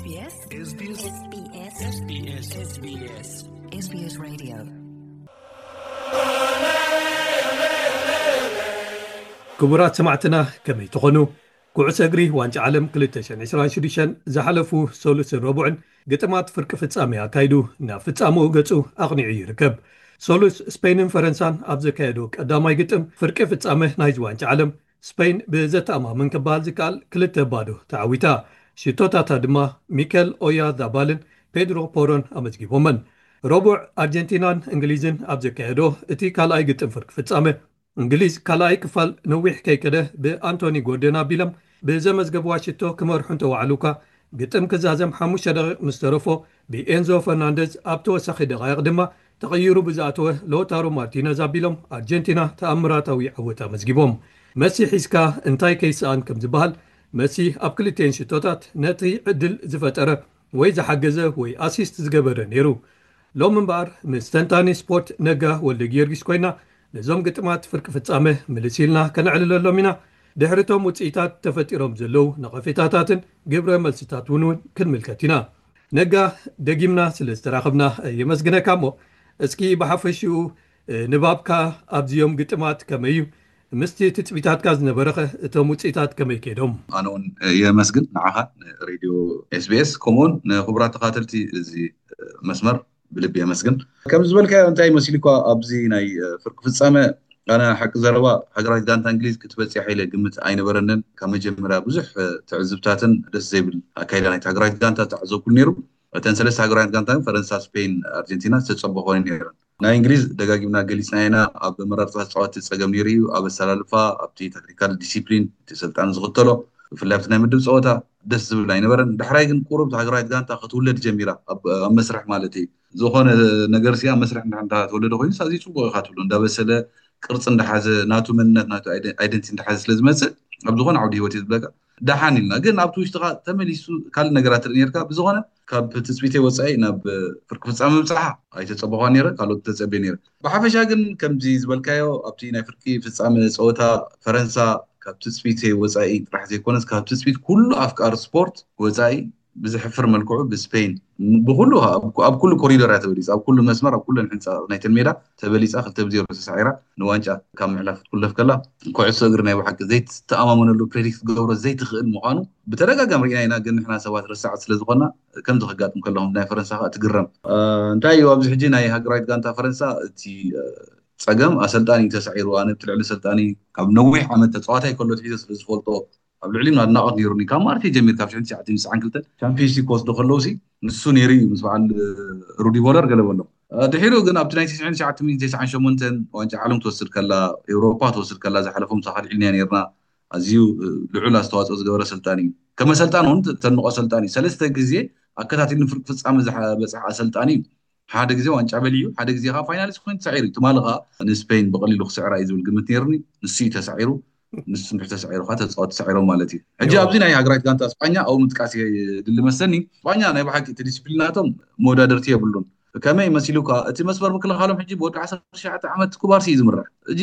SBS SBS SBS SBS SBS SBS Radio. ክቡራት ሰማዕትና፣ ከመይ ትኾኑ? ኩዕሶ እግሪ ዋንጫ ዓለም ክልተ ሽሕን ዕስራን ሽዱሽተን ዝሓለፉ ሰሉስን ረቡዕን ግጥማት ፍርቂ ፍጻሜ ኣካይዱ ናብ ፍጻመኡ ገጹ ኣቕኒዑ ይርከብ። ሰሉስ ስፔንን ፈረንሳን ኣብ ዘካየዶ ቀዳማይ ግጥም ፍርቂ ፍጻመ ናይዚ ዋንጫ ዓለም፣ ስፔን ብዘተኣማምን ክበሃል ዝከኣል ክልተ ባዶ ተዓዊታ። ሽቶታታ ድማ ሚከል ኦያዛባልን ፔድሮ ፖሮን ኣመዝጊቦመን። ረቡዕ ኣርጀንቲናን እንግሊዝን ኣብ ዘካየዶ እቲ ካልኣይ ግጥም ፍርቂ ፍጻመ፣ እንግሊዝ ካልኣይ ክፋል ነዊሕ ከይከደ ብኣንቶኒ ጎርደን ኣቢሎም ብዘመዝገብዋ ሽቶ ክመርሑ እንተወዓሉ እኳ፣ ግጥም ክዛዘም ሓሙሽተ ደቂቕ ምስ ተረፎ፣ ብኤንዞ ፈርናንደዝ ኣብ ተወሳኺ ደቓይቕ ድማ ተቐይሩ ብዝኣተወ ሎታሮ ማርቲነዝ ኣቢሎም ኣርጀንቲና ተኣምራታዊ ዓወት ኣመዝጊቦም። መሲ ሒዝካ እንታይ ከይሰኣን ከም ዝበሃል፣ መሲ ኣብ ክልቲኤን ሽቶታት ነቲ ዕድል ዝፈጠረ ወይ ዝሓገዘ ወይ ኣሲስት ዝገበረ ነይሩ። ሎም እምበኣር ምስ ተንታኒ ስፖርት ነጋ ወልደ ጊዮርጊስ ኮይና ነዞም ግጥማት ፍርቂ ፍጻመ ምልስ ኢልና ከነዕልለሎም ኢና። ድሕሪቶም ውፅኢታት ተፈጢሮም ዘለዉ ነቐፌታታትን ግብረ መልስታት እውን እውን ክንምልከት ኢና። ነጋ፣ ደጊምና ስለ ዝተራኸብና የመስግነካ። እሞ እስኪ ብሓፈሽኡ ንባብካ ኣብዚኦም ግጥማት ከመይ እዩ? ምስቲ ትፅቢታትካ ዝነበረኸ እቶም ውፅኢታት ከመይ ከይዶም? ኣነ እውን የመስግን ንዓኻ፣ ንሬድዮ ኤስቢኤስ፣ ከምኡውን ንክቡራት ተኻተልቲ እዚ መስመር ብልቢ የመስግን። ከም ዝበልካዮ እንታይ መሲሉ እኳ ኣብዚ ናይ ፍርቂ ፍጻመ ኣነ ሓቂ ዘረባ ሃገራዊት ጋንታ እንግሊዝ ክትበፅሕ ኢለ ግምት ኣይነበረንን። ካብ መጀመርያ ብዙሕ ትዕዝብታትን ደስ ዘይብል ኣካይዳ ናይቲ ሃገራዊት ጋንታ ተዓዘብኩሉ ነይሩ። እተን ሰለስተ ሃገራዊት ጋንታ ፈረንሳ፣ ስፔን፣ ኣርጀንቲና ዝተፀበኾ ነይረን። ናይ እንግሊዝ ደጋጊምና ገሊፅና ኢና። ኣብ መራርፃ ተፃወቲ ፀገም ነይሩ እዩ። ኣብ ኣሰላልፋ፣ ኣብቲ ታክቲካል ዲሲፕሊን እቲ ሰልጣን ዝኽተሎ፣ ብፍላይ ኣብቲ ናይ ምድብ ፀወታ ደስ ዝብል ኣይነበረን። ዳሕራይ ግን ቁሩብ ሃገራዊት ጋንታ ክትውለድ ጀሚራ፣ ኣብ ኣብ መስርሕ ማለት እዩ። ዝኾነ ነገር ሲ ኣብ መስርሕ እንዳ ተወለደ ኮይኑ ኣዝዩ ፅቡቕ ኢኻ ትብሎ። እንዳበሰለ ቅርፂ እንዳሓዘ ናቱ መንነት ናቱ ኣይደንቲ እንዳሓዘ ስለ ዝመፅእ ኣብ ዝኾነ ዓውዲ ህይወት እዩ ዝብለካ። ደሓን ኢልና ግን ኣብቲ ውሽጥኻ ተመሊሱ ካልእ ነገራት ትርኢ ነርካ። ብዝኾነ ካብ ትፅቢተይ ወፃኢ ናብ ፍርቂ ፍፃመ ምብፃሓ ኣይተፀበኳ ነይረ፣ ካልኦት ተፀቤ ነይረ። ብሓፈሻ ግን ከምዚ ዝበልካዮ ኣብቲ ናይ ፍርቂ ፍፃመ ፀወታ ፈረንሳ ካብ ትፅቢተይ ወፃኢ ጥራሕ ዘይኮነስ ካብ ትፅቢት ኩሉ ኣፍቃሪ ስፖርት ወፃኢ ብዝሕፍር መልክዑ ብስፔን ብኩሉ ኣብ ኩሉ ኮሪዶር እያ ተበሊፃ፣ ኣብ ኩሉ መስመር ኣብ ኩለን ሕንፃ ናይተን ሜዳ ተበሊፃ ክልተ ብዜሮ ተሳዒራ ንዋንጫ ካብ ምሕላፍ ክትኩለፍ ከላ፣ ኩዕሶ እግሪ ናይ ብሓቂ ዘይትተኣማመነሉ፣ ፕሬዲክት ክትገብሮ ዘይትኽእል ምዃኑ ብተደጋጋሚ ርኢና ኢና። ግን ንሕና ሰባት ረሳዕቲ ስለ ዝኾና ከምዚ ከጋጥም ከለኹም ናይ ፈረንሳ ከዓ ትግረም። እንታይ እዩ ኣብዚ ሕጂ ናይ ሃገራዊት ጋንታ ፈረንሳ እቲ ፀገም ኣሰልጣኒ እዩ ተሳዒሩ። ኣነ ብቲ ልዕሊ ኣሰልጣኒ ካብ ነዊሕ ዓመት ተፃዋታይ ከሎ ትሒዘ ስለ ዝፈልጦ ኣብ ልዕሊኡ ኣድናቖት ነይሩኒ። ካብ ማርሴ ጀሚር ካብ ሽሕን ትሽዓተ ሚእትን ትስዓን ክልተን ቻምፒዮንስ ሊግ ክወስዱ ከለውሲ ንሱ ነይሩ እዩ ምስ በዓል ሩዲ ቮለር ገለ በሎም። ድሒሩ ግን ኣብቲ ናይ ትሽዓን ትሽዓተ ሚእትን ትስዓን ሸሞንተን ዋንጫ ዓለም ትወስድ ከላ፣ ኤውሮፓ ትወስድ ከላ ዝሓለፎም ሳኻል ዒልንያ ነይርና። ኣዝዩ ልዑል ኣስተዋፅኦ ዝገበረ ኣሰልጣኒ እዩ። ከም ኣሰልጣን እውን ተንቆ ኣሰልጣኒ እዩ። ሰለስተ ግዜ ኣከታቲሉ ንፍርቂ ፍፃመ ዝበፅሐ ኣሰልጣኒ እዩ። ሓደ ግዜ ዋንጫ በሊዑ፣ ሓደ ግዜ ከዓ ፋይናሊስት ኮይኑ ተሳዒሩ እዩ። ትማሊ ከዓ ንስፔን ብቐሊሉ ክስዕራ እዩ ዝብል ግምት ነይሩኒ። ንሱ እዩ ተሳዒሩ። ንሱ እንድሕር ተሳዒሩ ከዓ ተፃወት ተሳዒሮም ማለት እዩ። ሕጂ ያው። ኣብዚ ናይ ሃገራዊት ጋንታ ስጳኛ ኣብኡ ምጥቃስ የድሊ መሰኒ። ስጳኛ ናይ ብሓቂ እቲ ዲስፕሊናቶም መወዳደርቲ የብሉን። ከመይ መሲሉካ እቲ መስመር ምክልኻሎም ሕጂ ብወዲ ዓሰርተ ትሽዓተ ዓመት ኩባርሲ እዩ ዝምራሕ። ሕጂ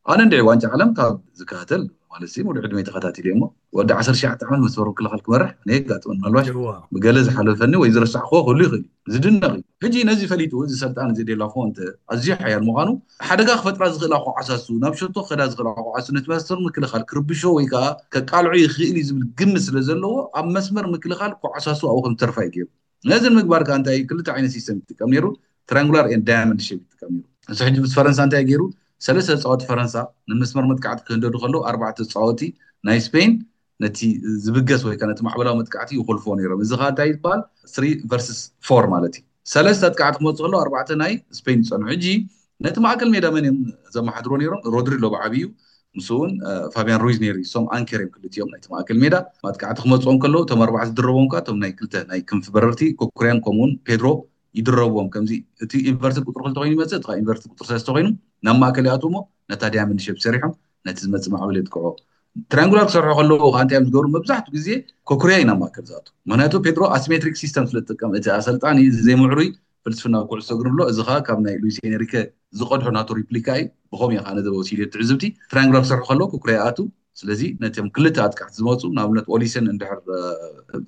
ኣነ እንድዒ ዋንጫ ዓለም ካብ ዝከታተል ማለት ሲ ሙሉ ዕድመይ ተኸታቲለ እሞ ወዲ ዓሰርተ ትሽዓተ ዓመት መስመር ምክልኻል ክመርሕ ኣነ የጋጥመን። ምናልባሽ እዋ። ብገለ ዝሓለፈኒ ወይ ዝረሳዕክዎ ክህሉ ይኽእል እዩ። ዝድነቕ እዩ። ሕጂ ነዚ ፈሊጡ እዚ ሰልጣን እዚ ዴላፎ እንተ ኣዝዩ ሓያል ምዃኑ ሓደጋ ክፈጥራ ዝኽእላ ኮዓሳሱ ናብ ሸቶ ክኸዳ ዝኽእላ ኮዓሱ ነቲ መስመር ምክልኻል ክርብሾ ወይ ከዓ ከቃልዖ ይኽእል እዩ ዝብል ግምት ስለ ዘለዎ ኣብ መስመር ምክልኻል ኮዓሳሱ ኣብኡ ከም ዝተርፋ እዩ ገይሩ። ነዚ ንምግባር ከዓ እንታይ ክልተ ዓይነት ሲስተም ይጥቀም ነይሩ። ትራንጉላር ኤን ዳያመንድ ሼፕ ይጥቀም ነይሩ። ንሱ ሕጂ ምስ ፈረንሳ እንታይ ገይሩ? ሰለስተ ተፃወቲ ፈረንሳ ንመስመር መጥቃዕቲ ክህንደዱ ከለዉ ኣርባዕተ ተፃወቲ ናይ ስፔን ነቲ ዝብገስ ወይ ከዓ ነቲ ማዕበላዊ መጥቃዕቲ ይኮልፎ ነይሮም። እዚ ከዓ እንታይ ይበሃል? ስሪ ቨርስስ ፎር ማለት እዩ። ሰለስተ ኣጥቃዕቲ ክመፁ ከለዉ ኣርባዕተ ናይ ስፔን ይፀንሑ። ሕጂ ነቲ ማእከል ሜዳ መን እዮም ዘመሓድሮ ነይሮም? ሮድሪሎ ብዓብዩ ምስ እውን ፋቢያን ሩይዝ ነይሩ። እሶም ኣንከር እዮም ክልቲኦም ናይቲ ማእከል ሜዳ። ማጥቃዕቲ ክመፅኦም ከለዉ እቶም ኣርባዕተ ዝድረቦም ከዓ እቶም ናይ ክልተ ናይ ክንፊ በረርቲ ኮኩርያን ከምኡውን ፔድሮ ይድረብዎም። ከምዚ እቲ ኢንቨርትድ ቁፅሪ ክልተ ኮይኑ ይመፅእ፣ እቲ ኢንቨርትድ ቁፅሪ ሰለስተ ኮይኑ ናብ ማእከል ይኣትውሞ ነታ ዳያመንድ ሼፕ ሰሪሖም ነቲ ዝመፅእ ማዕበል የጥቅዖ። ትራንጉላር ክሰርሑ ከለዉ ከዓ እንታይ እዮም ዝገብሩ? መብዛሕትኡ ግዜ ኮኩርያ እዩ ናብ ማእከል ዝኣቱ። ምክንያቱ ፔድሮ ኣሲሜትሪክ ሲስተም ስለ ዝጥቀም እቲ ኣሰልጣኒ እዚ ዘይምዕሩይ ፍልስፍና ኩዕሶ እግሪ ንብሎ፣ እዚ ከዓ ካብ ናይ ሉዊስ ኤንሪከ ዝቐድሖ ናቱ ሪፕሊካ እዩ። ብኸምኡ እዩ ከዓ ነዚ ወሲድዮ ትዕዝብቲ። ትራንጉላር ክሰርሑ ከለዉ ኮኩርያ ይኣቱ፣ ስለዚ ነቶም ክልተ ኣጥቃዕቲ ዝመፁ ንኣብነት ኦሊሰን እንድሕር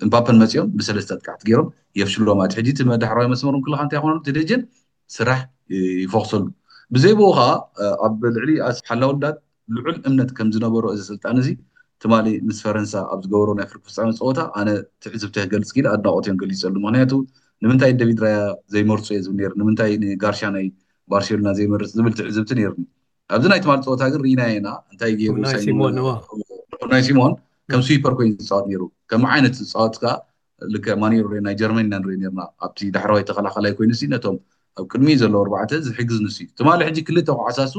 እምባፐን መፂኦም ብሰለስተ ኣጥቃዕቲ ገይሮም የፍሽሎም። ኣቲ ሕጂ እቲ መዳሕራዊ መስመር ክልኻ እንታይ ይኾኑ እቲ ደጀን ስራሕ ይፎክሰሉ። ብዘይ ብኡ ከዓ ኣብ ልዕሊ ሓላውዳት ልዑል እምነት ከም ዝነበሮ እዚ ስልጣን እዚ ትማሊ ምስ ፈረንሳ ኣብ ዝገበሮ ናይ ፍርቂ ፍፃመ ፀወታ ኣነ ትዕዝብተ ክገልፅ ኢለ ኣድናቆት እዮም ገሊፀሉ። ምክንያቱ ንምንታይ ደቪድ ራያ ዘይመርፁ እየ ዝብል ነይሩ፣ ንምንታይ ንጋርሻ ናይ ባርሴሎና ዘይመርፅ ዝብል ትዕዝብቲ ነይሩኒ። ኣብዚ ናይ ትማሊ ፀወታ ግን ርኢናዮ ኢና እንታይ ገይሩ ናይ ሲሞን ከም ስዊፐር ኮይኑ ዝፃወት ነይሩ። ከም ዓይነት ዝፃወት ከዓ ልክዕ ማኒሮ ናይ ጀርመን ኢና ንርኢ ነርና። ኣብቲ ዳሕረዋይ ተኸላኸላይ ኮይኑ ሲ ነቶም ኣብ ቅድሚ ዘለዉ ኣርባዕተ ዝሕግዝ ንሱ እዩ። ትማሊ ሕጂ ክልተ ኩዓሳሱ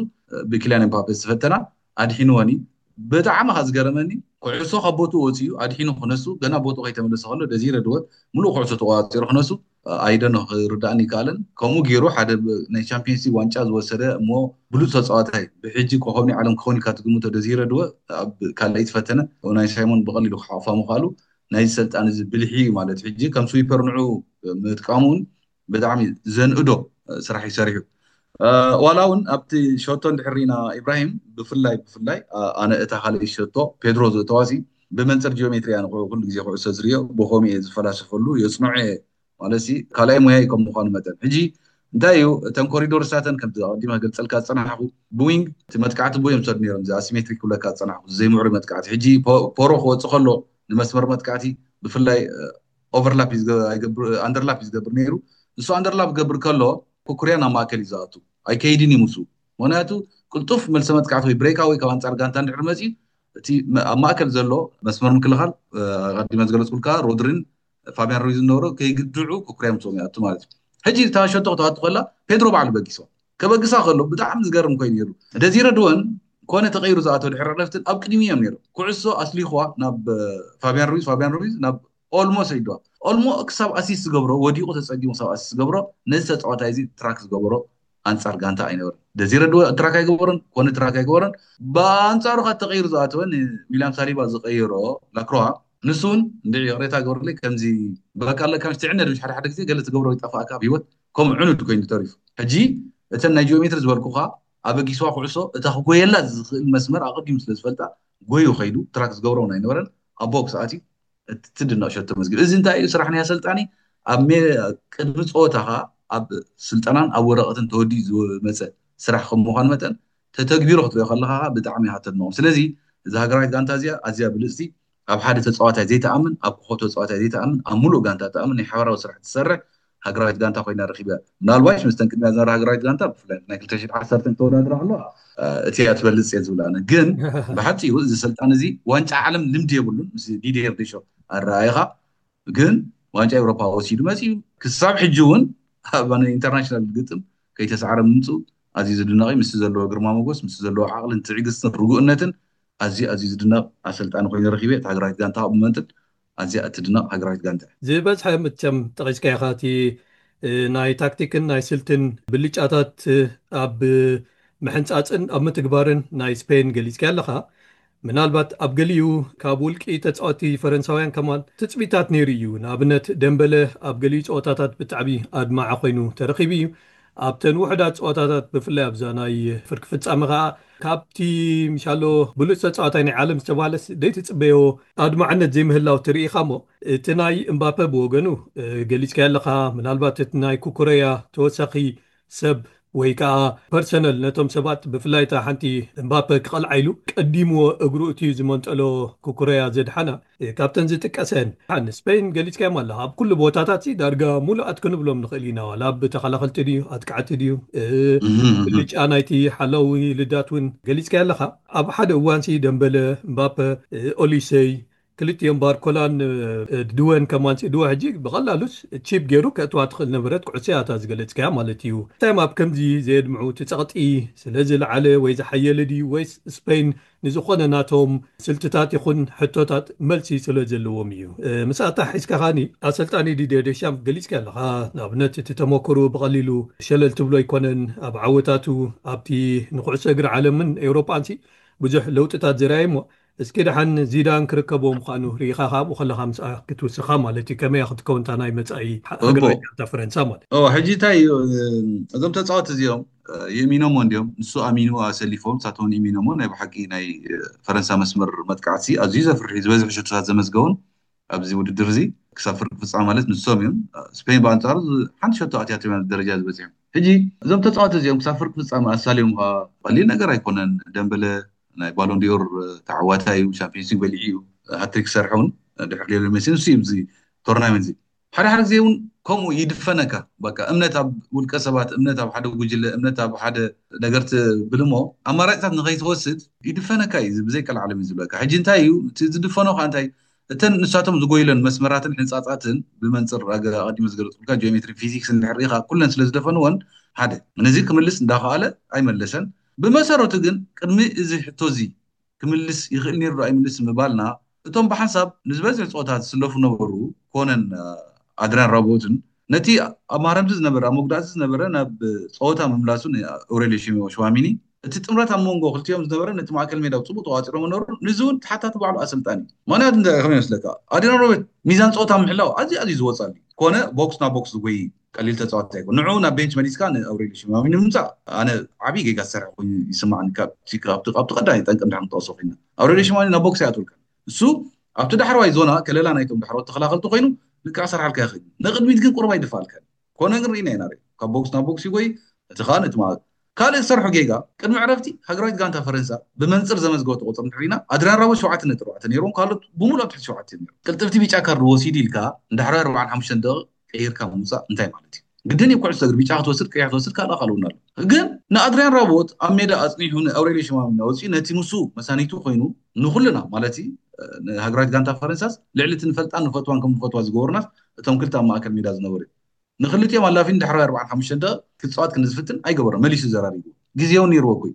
ብኪልያን ኤምባፔ ዝተፈተና ኣድሒንወኒ። ብጣዕሚ ካ ዝገረመኒ ኩዕሶ ካብ ቦትኡ ወፂኡ ኣድሒኑ ክነሱ ገና ቦትኡ ከይተመለሰ ከሎ ደዚረ ድወት ሙሉእ ኩዕሶ ተቆፃፂሩ ክነሱ ኣይደኖ ክርዳእኒ ይከኣልን። ከምኡ ገይሩ ሓደ ናይ ቻምፒየንስ ሊግ ዋንጫ ዝወሰደ እሞ ብሉፅ ተፃዋታይ ብሕጂ ኮኸብ ናይ ዓለም ክኸውን ኢልካ ትግምቶ ደዚረ ድወ ኣብ ካልኣይ ዝፈተነ ናይ ሳይሞን ብቐሊሉ ክሓቑፋ ምኽኣሉ ናይዚ ሰልጣን እዚ ብልሒ እዩ ማለት ሕጂ ከም ስዊፐር ንዑ ምጥቃሙ እውን ብጣዕሚ ዘንእዶ ስራሕ እዩ ሰሪሑ። ዋላ እውን ኣብቲ ሸቶ እንድሕር ርኢና ኢብራሂም ብፍላይ ብፍላይ ኣነ እታ ካልእ ሸቶ ፔድሮ ዘእተዋሲ ብመንፅር ጂኦሜትሪ ኣነ ኩሉ ግዜ ኩዕሶ ዝርዮ ብኸምኡ እየ ዝፈላሰፈሉ የፅንዖ እየ ማለት ካልኣይ ሙያ እዩ ከም ምኳኑ መጠን ሕጂ እንታይ እዩ እተን ኮሪዶር ሳተን ከምቲ ኣቀዲመ ክገልፀልካ ዝፀናሕኩ ብዊንግ እቲ መጥቃዕቲ ብዮም ሰዱ ነይሮም እዚ ኣሲሜትሪክ ክብለካ ዝፀናሕኩ ዘይምዕሩይ መጥቃዕቲ ሕጂ ፖሮ ክወፅእ ከሎ ንመስመር መጥቃዕቲ ብፍላይ ኦቨርላፕ ኣንደርላፕ እዩ ዝገብር ነይሩ። ንሱ ኣንደርላፕ ክገብር ከሎ ኩኩርያ ናብ ማእከል እዩ ዝኣቱ ኣይከይድን እዩ ምስኡ። ምክንያቱ ቅልጡፍ መልሰ መጥቃዕቲ ወይ ብሬካ ወይ ካብ ኣንፃር ጋንታ እንድሕር መፅዩ እቲ ኣብ ማእከል ዘሎ መስመር ምክልኻል ኣቀዲመ ዝገለፅኩልካ ሮድሪን ፋቢያን ሩይዝ ዝነበሮ ከይግድዑ ኩኩርያ ምስኦም ይኣቱ ማለት እዩ። ሕጂ እታ ሸቶ ክተዋቱ ከላ ፔድሮ ባዕሉ በጊሶ ከበግሳ ከሎ ብጣዕሚ ዝገርም ኮይኑ ነይሩ። ደዚረ ድወን ኮነ ተቀይሩ ዝኣተው ድሕሪ ዕረፍትን ኣብ ቅድሚ እዮም ነይሩ። ኩዕሶ ኣስሊኽዋ ናብ ፋቢያን ሩይዝ ፋቢያን ሩይዝ ናብ ኦልሞ ሰይድዋ ኦልሞ ክሳብ ኣሲስት ዝገብሮ ወዲቁ ተፀጊሙ ክሳብ ኣሲስት ዝገብሮ ነዚ ተፃዋታይ እዚ ትራክ ዝገበሮ ኣንፃር ጋንታ ኣይነበረን። ደዚረ ድወ ትራክ ኣይገበሮን ኮነ ትራክ ኣይገበሮን። ብኣንፃሩ ካብ ተቀይሩ ዝኣተወ ንዊልያም ሳሊባ ዝቀየሮ ላክሮዋ ንሱ እውን እንድዒ ይቅሬታ ገበርለይ ከምዚ በቃ ኣለካ ምስ ትዕነ ድምሽ ሓደ ሓደ ግዜ ገለ ትገብሮ ይጠፋእካ ኣብ ህይወት ከምኡ ዕኑድ ኮይኑ ተሪፉ። ሕጂ እተን ናይ ጂኦሜትሪ ዝበልኩካ ኣበጊስዋ ኩዕሶ እታ ክጎየላ ዝኽእል መስመር ኣቀዲሙ ስለ ዝፈልጣ ጎዩ ከይዱ ትራክ ዝገብሮ እውን ኣይነበረን ኣብ ቦክስ ኣትዩ እቲ ትድነቕ ሸቶ መዝጊብ። እዚ እንታይ እዩ ስራሕ ናይ ኣሰልጣኒ ኣብ ቅድሚ ፀወታኻ ኣብ ስልጠናን ኣብ ወረቐትን ተወዲኡ ዝመፀ ስራሕ ከም ምኳኑ መጠን ተተግቢሮ ክትሪኦ ከለካ ብጣዕሚ ኢካ ተድንቖም። ስለዚ እዛ ሃገራዊት ጋንታ እዚኣ ኣዝያ ብልፅቲ ኣብ ሓደ ተፃዋታይ ዘይተኣምን ኣብ ኮኸብ ተፃዋታይ ዘይተኣምን ኣብ ሙሉእ ጋንታ ተኣምን ናይ ሓበራዊ ስራሕ ትሰርሕ ሃገራዊት ጋንታ ኮይና ረኪበ ምናልባሽ ምስተን ቅድሚያ ዝነበረ ሃገራዊት ጋንታ ብፍላይ ናይ ክልተ ሽሕ ዓሰርተ ተወዳድራ ከለዋ እቲ እያ ትበልፅ እየ ዝብል ኣነ ግን ብሓፂሩ እዚ ስልጣን እዚ ዋንጫ ዓለም ልምዲ የብሉን ምስ ዲዲር ዴሾ ኣረኣይኻ ግን ዋንጫ ኤውሮፓ ወሲዱ መፂኡ ክሳብ ሕጂ እውን ኣብ ኢንተርናሽናል ግጥም ከይተሰዓረ ምምፅኡ ኣዝዩ ዝድነቕ እዩ። ምስቲ ዘለዎ ግርማ ሞጎስ ምስቲ ዘለዎ ዓቕልን ትዕግስትን ርጉእነትን ኣዝዩ ኣዝዩ ዝድነቕ ኣሰልጣኒ ኮይኑ ረኪበ። እቲ ሃገራዊት ጋንታ ካብ መንጥል ኣዝያ እትድነቕ ሃገራዊት ጋንታ እያ። ዝበዝሐ ምቸም ጠቒስካ ኢኻ እቲ ናይ ታክቲክን ናይ ስልትን ብልጫታት ኣብ ምሕንጻጽን ኣብ ምትግባርን ናይ ስፔን ገሊጽካ ኣለኻ። ምናልባት ኣብ ገሊኡ ካብ ውልቂ ተጻወቲ ፈረንሳውያን ከማን ትጽቢታት ነይሩ እዩ። ንኣብነት ደምበለ ኣብ ገሊኡ ጸወታታት ብጣዕሚ ኣድማዒ ኮይኑ ተረኺቡ እዩ። ኣብተን ውሕዳት ጸወታታት ብፍላይ ኣብዛ ናይ ፍርቂ ፍጻመ ከኣ ካብቲ ምሻሎ ብሉጽ ተጻዋታይ ናይ ዓለም ዝተባህለስ ደይትጽበዮ ኣድማዕነት ዘይምህላው ትርኢ ኢኻ እሞ እቲ ናይ እምባፐ ብወገኑ ገሊጽካዮ ኣለኻ። ምናልባት እቲ ናይ ኩኩረያ ተወሳኺ ሰብ ወይ ከዓ ፐርሰነል ነቶም ሰባት ብፍላይ እታ ሓንቲ እምባፐ ክቐልዓ ኢሉ ቀዲምዎ እግሩ እቲ ዝመንጠሎ ኩኩረያ ዘድሓና ካብተን ዝጥቀሰን ንስፔን ገሊጽካዮም ኣለኻ። ኣብ ኩሉ ቦታታት ዳርጋ ሙሉኣት ክንብሎም ንኽእል ኢና። ዋላ ኣብ ተኸላኸልቲ ድዩ ኣጥቃዕቲ ድዩ ብልጫ ናይቲ ሓላዊ ልዳት እውን ገሊጽካዮ ኣለኻ። ኣብ ሓደ እዋንሲ ደምበለ፣ እምባፐ፣ ኦሊሰይ ክልቲኦም ባርኮላን ድወን ከማንሲ ድወ ሕጂ ብቐላሉስ ቺፕ ገይሩ ከእትዋ ትኽእል ነበረት ኩዕሶ እያ እታ ዝገለጽካያ ማለት እዩ። እንታይ ኣብ ከምዚ ዘየድምዑ እቲ ጸቕጢ ስለ ዝለዓለ ወይ ዝሓየለ ድዩ ወይስ ስፔን ንዝኾነ ናቶም ስልትታት ይኹን ሕቶታት መልሲ ስለ ዘለዎም እዩ። ምስኣታ ሒዝካ ኻኒ ኣሰልጣኒ ዲድየ ዴሻም ገሊጽካ ኣለኻ። ንኣብነት እቲ ተመክሩ ብቐሊሉ ሸለል ትብሎ ኣይኮነን። ኣብ ዓወታቱ ኣብቲ ንኩዕሶ እግሪ ዓለምን ኤውሮጳንሲ ብዙሕ ለውጥታት ዘርኣየ እሞ እስኪ ደሓን ዚዳን ክርከቦ ምዃኑ ርኢኻ ካብኡ ከለኻ ምስኣ ክትውስኻ ማለት እዩ። ከመይ ክትከውን እታ ናይ መጻኢ ሃገራዊት ጋንታ ፈረንሳ ማለት እዩ። ሕጂ እንታይ እዩ፣ እዞም ተፃወት እዚኦም የሚኖሞ እንዲዮም፣ ንሱ ኣሚኑ ኣሰሊፎም ሳቶን የሚኖሞ ናይ ብሓቂ ናይ ፈረንሳ መስመር መጥቃዕቲ ኣዝዩ ዘፍርሒ ዝበዝሕ ሽቶታት ዘመዝገቡን ኣብዚ ውድድር እዚ ክሳብ ፍርቂ ፍፃመ ማለት ንሶም እዮም። ስፔን ብኣንፃሩ ሓንቲ ሸቶ ኣትያቶም ደረጃ ዝበፅሑ። ሕጂ እዞም ተፃወት እዚኦም ክሳብ ፍርቂ ፍፃመ ኣሳልዮም ከ ቀሊል ነገር ኣይኮነን። ደምበለ ናይ ባሎንዲዮር ተዓዋታይ እዩ። ሻምፒዮንስ ሊግ በሊዑ እዩ። ሃትሪክ ክሰርሕ እውን ድሕሪ ሊዮኔል ሜሲ ንሱ እዩ እዚ ቶርናመንት እዚ። ሓደ ሓደ ግዜ እውን ከምኡ ይድፈነካ። በቃ እምነት ኣብ ውልቀ ሰባት፣ እምነት ኣብ ሓደ ጉጅለ፣ እምነት ኣብ ሓደ ነገር ትብል እሞ ኣማራጭታት ንኸይትወስድ ይድፈነካ እዩ። ብዘይቀልዓለም እዩ ዝብለካ። ሕጂ እንታይ እዩ እቲ ዝድፈኖ ከ እንታይ እተን ንሳቶም ዝጎይለን መስመራትን ሕንፃፃትን ብመንፅር ኣቀዲመ ዝገለፅኩልካ ጂኦሜትሪ ፊዚክስ እንድሕር ኢኻ ኩለን ስለ ዝደፈንወን ሓደ ነዚ ክምልስ እንዳኸኣለ ኣይመለሰን። ብመሰረቱ ግን ቅድሚ እዚ ሕቶ እዚ ክምልስ ይኽእል ነይሩ ኣይምልስ ምባልና እቶም ብሓንሳብ ንዝበዝሕ ፀወታ ዝስለፉ ነበሩ ኮነን ኣድሪያን ራቦትን ነቲ ኣብ ማረምቲ ዝነበረ ኣብ መጉዳእቲ ዝነበረ ናብ ፀወታ ምምላሱ ኣውሬልዮ ሽዋሚኒ እቲ ጥምረት ኣብ መንጎ ክልቲኦም ዝነበረ ነቲ ማእከል ሜዳ ብፅቡቅ ተቋፂሮ መኖሩ ንዚ እውን ተሓታቲ ባዕሉ ኣሰልጣኒ። ምክንያቱ እንታይ ከመይ ይመስለካ ኣድሪያን ራቦት ሚዛን ፀወታ ምሕላው ኣዝዩ ኣዝዩ ዝወፀሉ ኮነ ቦክስ ናብ ቦክስ ዝጎይ ቀሊል ተፃዋታይ ኣይኮን። ንዑ ናብ ቤንች መሊስካ ንኣውሬልዮ ሽማሚኒ ምምፃእ ኣነ ዓብዪ ጌጋ ዝሰርሐ ኮይኑ ይስማዕኒ። ካብቲ ቀዳማይ ጠንቂ እንድሕር ክንጠቕሶ ኮይና ኣውሬልዮ ሽማሚኒ ናብ ቦክስ ኣይኣትወልካን። እሱ ኣብቲ ዳሕረዋይ ዞና ከለላ ናይቶም ዳሕረዎት ተኸላኸልቲ ኮይኑ ልክዕ ክሰርሓልካ ይኽእል እዩ። ንቕድሚት ግን ቁሩብ ኣይድፍኣልካን። ኮነ ግን ርኢና ኢና ርእ ካብ ቦክስ ናብ ቦክስ ይጎይ እቲ ከዓ ነቲ ካልእ ዝሰርሖ ጌጋ ቅድሚ ዕረፍቲ ሃገራዊት ጋንታ ፈረንሳ ብመንፅር ዘመዝገበቶ ቁፅሪ እንድሕር ርኢና ኣድሪያን ራቦት ሸውዓተ ነጥቢ ኣርባዕተ ነይርዎም ካልኦት ብምሉእ ኣብ ትሕቲ ሸውዓተ እዮም ነይሮም። ቅልጥፍቲ ቢጫ ካርድ ወሲዱ ኢልካ ንዳሕራይ ኣርባዓን ሓሙሽተን ደቂቕ ቀይርካ ምውፃእ እንታይ ማለት እዩ? ግድን እዩ ኩዕሶ እግሪ ቢጫ ክትወስድ ቀይሕ ክትወስድ ካልኣ ካልኡና ኣሎ። ግን ንኣድሪያን ራቦት ኣብ ሜዳ ኣፅኒሑ ንኣውሬልዮ ሽማሚኒ ኣውፂኡ ነቲ ምስኡ መሳኒቱ ኮይኑ ንኩልና ማለት እዩ ንሃገራዊት ጋንታ ፈረንሳስ ልዕሊ እቲ ንፈልጣን ንፈትዋን ከም ንፈትዋ ዝገበሩናስ እቶም ክልተ ኣብ ማእከል ሜዳ ዝነበሩ እዮም። ንክልቲኦም ኣላፊን ድሕሪ ኣርባዓን ሓሙሽተን ደቂቕ ክፃወት ክንዝፍትን ኣይገበሮን። መሊሱ ዘራሪቡ ግዜ እውን ነይርዎ እኮ እዩ።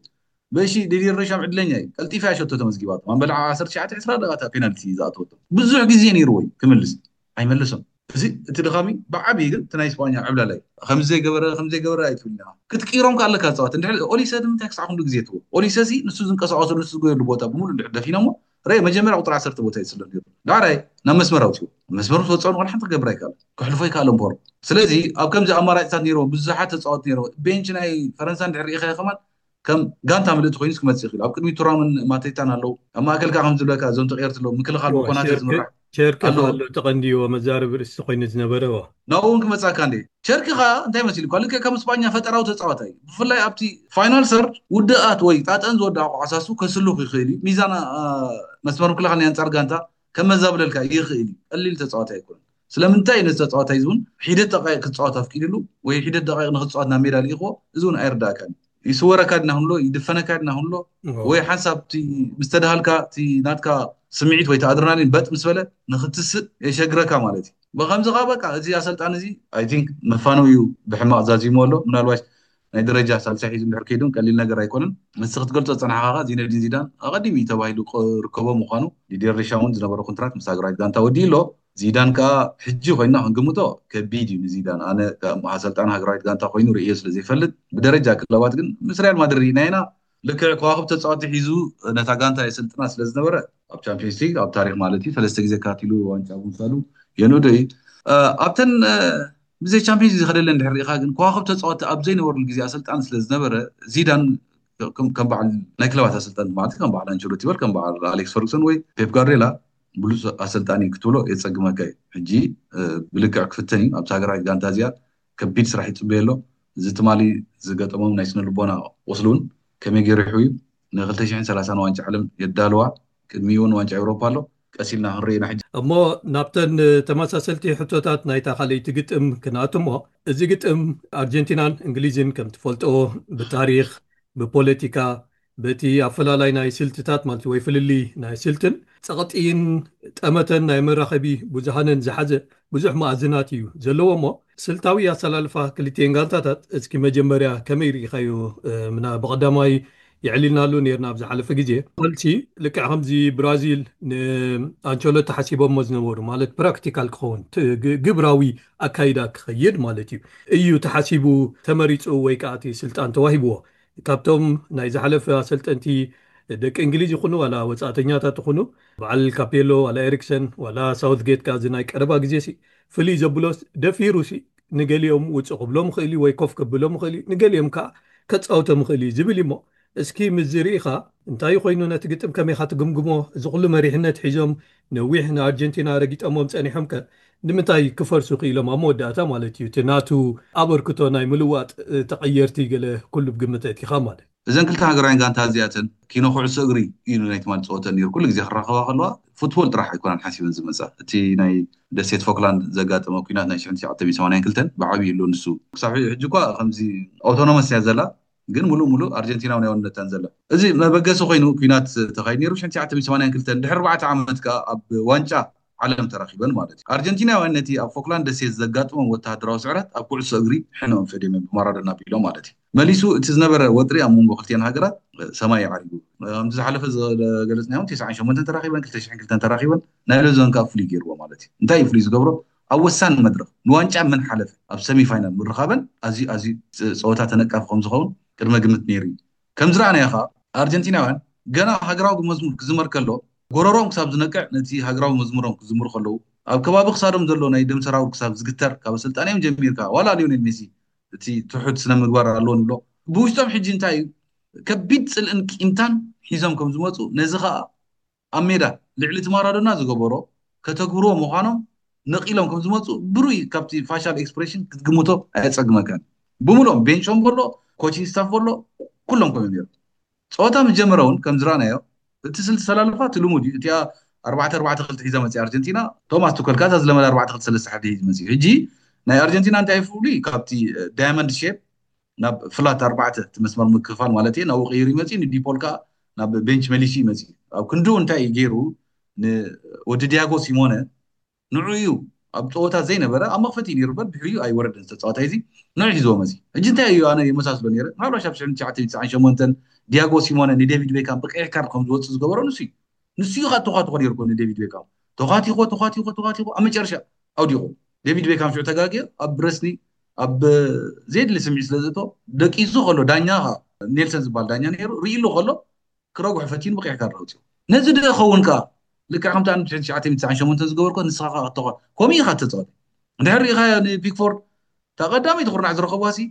በሺ ዲዲር ደሻም ዕድለኛ እዩ። ቀልጢፋ እያ ሸቶ ተመዝጊባቶ። ኣንበልዓ ዓሰርተ ትሽዓተ ዕስራ ደቂቓ እታ ፔናልቲ ዝኣተወቶ ብዙሕ ግዜ ነይርዎ እዩ ክምልስ ኣይመለሶን። እዚ እቲ ድኻሚ ብዓብዪ ግን እቲ ናይ ስጳኛ ዕብላላ እዩ። ከምዚ ዘይገበረ ከምዚ ዘይገበረ ኣይትብል ኢና ክትቅይሮም ከ ኣለካ ዝፃወት እንድሕር ኦሊሰ ንምንታይ ክሳዕ ክንዱ ግዜ ትዎ ኦሊሰ ሲ ንሱ ዝንቀሳቀሰሉ ንሱ ዝጎየሉ ቦታ ብምሉእ እንድሕር ደፊኖሞ ረ መጀመርያ ቁፅሪ ዓሰርተ ቦታ ይፅሎ ነይሩ። ዳዕራይ ናብ መስመር ኣውፅዎ መስመር ትወፅኦ ንቆል ሓንቲ ክገብር ኣይከኣለን። ክሕልፎ ኣይከኣለን ቦሮ። ስለዚ ኣብ ከምዚ ኣማራጭታት ነይርዎ ብዙሓት ተፃወት ነይርዎ ቤንች ናይ ፈረንሳ እንድሕር ርኢኸ ከማን ከም ጋንታ ምልእቲ ኮይኑ ክመፅእ ይኽእል። ኣብ ቅድሚ ቱራምን ማቴታን ኣለዉ። ኣብ ማእከል ከዓ ከም ዝብለካ እዞም ተቀየርቲ ኣለዉ። ምክልኻል ብኮናተ ዝምራሕ ቸርኪ ኣሎ። ተቐንዲዎ መዛረቢ ርእሲ ኮይኑ ዝነበረ ናብኡ እውን ክመፃካ እንደ ቸርኪ ከዓ እንታይ መሲሉ እኳ ልክዕ ከም ስጳኛ ፈጠራዊ ተፃዋታይ እዩ። ብፍላይ ኣብቲ ፋይናል ሰርድ ውድኣት ወይ ጣጠን ዝወድኣ ኳዕሳሱ ከስልኹ ይኽእል እዩ። ሚዛን መስመር ምክልኻል ናይ ኣንፃር ጋንታ ከመዛብለልካ ይኽእል እዩ። ቀሊል ተፃዋታይ ኣይኮነን። ስለምንታይ ነዚ ተፃዋታይ እዚ እውን ሒደት ደቃይቅ ክፃወት ኣፍቂድሉ ወይ ሒደት ደቃይቅ ንክፃወት ናብ ሜዳ ልኢኽዎ እዚ እውን ኣይርዳእካን እዩ። ይስወረካ ድና ክንሎ ይድፈነካ ድና ክንሎ ወይ ሓንሳብ እቲ ምስተድሃልካ እቲ ናትካ ስምዒት ወይ ኣድረናሊን በጥ ምስ በለ ንክትስእ የሸግረካ ማለት እዩ። ብከምዚ ከዓ በቃ እዚ ኣሰልጣን እዚ ኣይ ቲንክ መፋነው እዩ። ብሕማቅ ዛዚሙ ኣሎ። ምናልባሽ ናይ ደረጃ ሳልሳይ ሒዙ እንድሕር ከይዱን ቀሊል ነገር ኣይኮነን። ምስ ክትገልፆ ዝፀናሕካ ከዓ ዚነዲን ዚዳን ኣቐዲሙ እዩ ተባሂሉ ክርከቦ ምኳኑ ዲዴር ሪሻ እውን ዝነበረ ኮንትራት ምስ ሃገራዊት ጋንታ ወዲኡ ኣሎ። ዚዳን ከዓ ሕጂ ኮይና ክንግምቶ ከቢድ እዩ ንዚዳን። ኣነ ኣሰልጣን ሃገራዊት ጋንታ ኮይኑ ርእዮ ስለ ዘይፈልጥ ብደረጃ ክለባት ግን ምስ ሪያል ማድሪድ ርኢና ኢና። ልክዕ ከዋክብ ተፃወቲ ሒዙ ነታ ጋንታ የሰልጥና ስለ ዝነበረ ኣብ ቻምፒዮንስ ሊግ ኣብ ታሪክ ማለት እዩ ሰለስተ ግዜ ካቲሉ ዋንጫ ምውሳዱ የንእዶ እዩ። ኣብተን ብዘይ ቻምፒዮንስ ዝኸደለ እንድሕር ርኢኻ ግን ከዋክብ ተፃወቲ ኣብ ዘይነበሩሉ ግዜ ኣሰልጣን ስለ ዝነበረ ዚዳን ከም በዓል ናይ ክለባት ኣሰልጣን ማለት ከም በዓል ኣንቸሎቲ በል ከም በዓል ኣሌክስ ፈርጉሰን ወይ ፔፕ ጋርዴላ ብሉፅ ኣሰልጣኒ ክትብሎ የፀግመካ እዩ። ሕጂ ብልክዕ ክፍተን እዩ። ኣብቲ ሃገራዊት ጋንታ እዚኣ ከቢድ ስራሕ ይፅበየ ኣሎ። እዚ ትማሊ ዝገጠሞም ናይ ስነ ልቦና ቁስሊ እውን ከመይ ገይሩ ይሕውዩ። ን ክልተ ሽሕን ሰላሳን ዋንጫ ዓለም የዳልዋ። ቅድሚኡ እውን ዋንጫ ኤውሮፓ ኣሎ። ቀስ ኢልና ክንርኢ ኢና ሕጂ። እሞ ናብተን ተመሳሰልቲ ሕቶታት ናይታ ካልኣይቲ ግጥም ክንኣቱ እሞ እዚ ግጥም ኣርጀንቲናን እንግሊዝን ከም ትፈልጦ ብታሪክ ብፖለቲካ በቲ ኣፈላላይ ናይ ስልትታት ማለት ወይ ፍልልይ ናይ ስልትን ጸቕጢን ጠመተን ናይ መራኸቢ ብዙሃንን ዝሓዘ ብዙሕ መኣዝናት እዩ ዘለዎ እሞ ስልታዊ ኣሰላልፋ ክልቲኤን ጋንታታት እስኪ መጀመርያ ከመይ ርኢኻዮ? ምና ብቐዳማይ የዕሊልናሉ ነርና ኣብ ዝሓለፈ ግዜ ፈልሲ ልክዕ ከምዚ ብራዚል ንኣንቸሎቲ ሓሲቦሞ ዝነበሩ ማለት ፕራክቲካል ክኸውን ግብራዊ ኣካይዳ ክኸይድ ማለት እዩ እዩ ተሓሲቡ ተመሪፁ ወይ ከዓ እቲ ስልጣን ተዋሂብዎ ካብቶም ናይ ዝሓለፈ ኣሰልጠንቲ ደቂ እንግሊዝ ይኹኑ ዋላ ወፃእተኛታት ይኹኑ፣ በዓል ካፔሎ ዋላ ኤሪክሰን ዋላ ሳውትጌት፣ ከዚ ናይ ቀረባ ግዜ ሲ ፍልይ ዘብሎስ ደፊሩ ሲ ንገሊኦም ውፅእ ክብሎም ይኽእል እዩ ወይ ኮፍ ከብሎም ይኽእል እዩ፣ ንገሊኦም ከዓ ከፃውቶም ይኽእል እዩ ዝብል እዩ። እሞ እስኪ ምስ ርኢኻ እንታይ ኮይኑ ነቲ ግጥም ከመይኻ ትግምግሞ? እዚ ኩሉ መሪሕነት ሒዞም ነዊሕ ንኣርጀንቲና ረጊጠሞም ፀኒሖም ከ ንምንታይ ክፈርሱ ክኢሎም? ኣብ መወዳእታ ማለት እዩ እቲ ናቱ ኣበርክቶ ናይ ምልዋጥ ተቐየርቲ ገለ ኩሉ ብግምት ኣእቲኻ ማለት። እዘን ክልተ ሃገራውያን ጋንታ እዚኣተን ኪኖ ኩዕሶ እግሪ እዩ ናይ ትማሊ ፀወተን ነይሩ። ኩሉ ግዜ ክራኸባ ከለዋ ፉትቦል ጥራሕ ኣይኮናን ሓሲበን ዝመፃ። እቲ ናይ ደሴት ፎክላንድ ዘጋጠመ ኩናት ናይ ሽሕን ትሽዓተ ሚእትን ሰማንያን ክልተን ብዓብዩ ኣሎ ንሱ። ክሳብ ሕጂ እኳ ከምዚ ኣውቶኖመስ እያ ዘላ፣ ግን ሙሉእ ሙሉእ ኣርጀንቲናዊ ናይ ዋንነታን ዘላ። እዚ መበገሲ ኮይኑ ኩናት ተኻይድ ነይሩ ሽሕን ትሽዓተ ሚእትን ሰማንያን ክልተን። ድሕሪ ኣርባዕተ ዓመት ከዓ ኣብ ዋንጫ ዓለም ተራኺበን ማለት እዩ። ኣርጀንቲናውያን ነቲ ኣብ ፎክላንድ ደሴት ዘጋጥሞም ወተሃደራዊ ስዕረት ኣብ ኩዕሶ እግሪ ሕነኦም ፈድዮም እዮም ብማራዶና ኣቢሎም ማለት እዩ። መሊሱ እቲ ዝነበረ ወጥሪ ኣብ መንጎ ክልቲአን ሃገራት ሰማይ ይዓሪጉ። ከምቲ ዝሓለፈ ዝገለጽናዮም ተስዓን ሸሞንተን ተራኺበን ክልተ ሽሕን ክልተን ተራኺበን ናይ ሎዞን ከዓ ፍሉይ ገይርዎ ማለት እዩ። እንታይ እዩ ፍሉይ ዝገብሮ? ኣብ ወሳኒ መድረኽ ንዋንጫ መን ሓለፈ ኣብ ሰሚ ፋይናል ምርኻበን ኣዝዩ ኣዝዩ ፀወታ ተነቃፊ ከም ዝኸውን ቅድመ ግምት ነይሩ እዩ። ከም ዝረኣናዮ ከዓ ኣርጀንቲናውያን ገና ሃገራዊ መዝሙር ክዝመር ከሎ ጎረሮም ክሳብ ዝነቅዕ ነቲ ሃገራዊ መዝሙሮም ክዝምሩ ከለዉ ኣብ ከባቢ ክሳዶም ዘሎ ናይ ደም ሰራውር ክሳብ ዝግተር ካብ ኣሰልጣኒኦም ጀሚርካ ዋላ ሊዮኔል ሜሲ እቲ ትሑት ስነ ምግባር ኣለዎ ንብሎ ብውሽጦም ሕጂ እንታይ እዩ ከቢድ ፅልእን ቂምታን ሒዞም ከም ዝመፁ ነዚ ከዓ ኣብ ሜዳ ልዕሊ እቲ ማራዶና ዝገበሮ ከተግብርዎ ምዃኖም ነቒሎም ከም ዝመፁ ብሩይ ካብቲ ፋሻል ኤክስፕሬሽን ክትግምቶ ኣየፀግመካን። ብምሎም ቤንቾም ከሎ ኮቺንግ ስታፍ ከሎ ኩሎም ከምኡ ነይሩ። ፀወታ ምስ ጀመረ እውን ከም ዝረኣናዮ እቲ ስልቲ ሰላልፋ እቲ ልሙድ እዩ። እቲኣ ኣርባዕተ ኣርባዕተ ክልተ ሒዛ መፅያ ኣርጀንቲና። ቶማስ ቱከል ከዓ እዛ ዝለመደ ኣርባዕተ ክልተ ሰለስተ ሓደ ሒዙ መፅዩ። ሕጂ ናይ ኣርጀንቲና እንታይ ፍሉይ ካብቲ ዳያመንድ ሼፕ ናብ ፍላት ኣርባዕተ እቲ መስመር ምክፋል ማለት እየ ናብኡ ቀይሩ ይመፅእ ንዲፖል ከዓ ናብ ቤንች መሊሱ ይመፅእ። ኣብ ክንድኡ እንታይ እዩ ገይሩ ንወዲ ዲያጎ ሲሞነ ንዑ እዩ ኣብ ፀወታ ዘይነበረ ኣብ መኽፈቲ ነይሩ በር ድሕሪኡ ኣይወረደን ዝተፃወታይ እዚ ንዑ ሒዝዎ መፂ። ሕጂ እንታይ እዩ ኣነ የመሳስሎ ነይረ ምናልባሽ ኣብ ሽሕን ትሽዓተ ሚእትን ትስዓን ሸሞንተን ዲያጎ ሲሞነ ንዴቪድ ቤካም ብቀይሕ ካርድ ከም ዝወፅእ ዝገበሮ ንሱ እዩ። ንሱ እዩ ከዓ ተኳትኮ ነይሩ እኮ ንዴቪድ ቤካም ተኳቲኮ ተኳቲኮ ተኳቲኮ ኣብ መጨረሻ ኣውዲቑ። ዴቪድ ቤካም ሽዑ ተጋግዮ ኣብ ረስኒ ኣብ ዘየድሊ ስምዒት ስለ ዝእቶ ደቂሱ ከሎ ዳኛ ከዓ ኔልሰን ዝበሃል ዳኛ ነይሩ ርእሉ ከሎ ክረጉሑ ፈቲኑ ብቀይሕ ካርድ ኣውፅኡ። ነዚ ዶ ይኸውን ከዓ ልክዕ ከምቲ ኣነ ትሽዓተ ሚእትን ትስዓን ሸሞንተን ዝገበርኮ ንስኻ ከዓ ክትተኳ ከምኡ ኢኻ ተፃወት። እንድሕር ርኢኻዮ ንፒክፎርድ እታ ቀዳመይቲ ኩርናዕ ዝረኸብዋ ሲ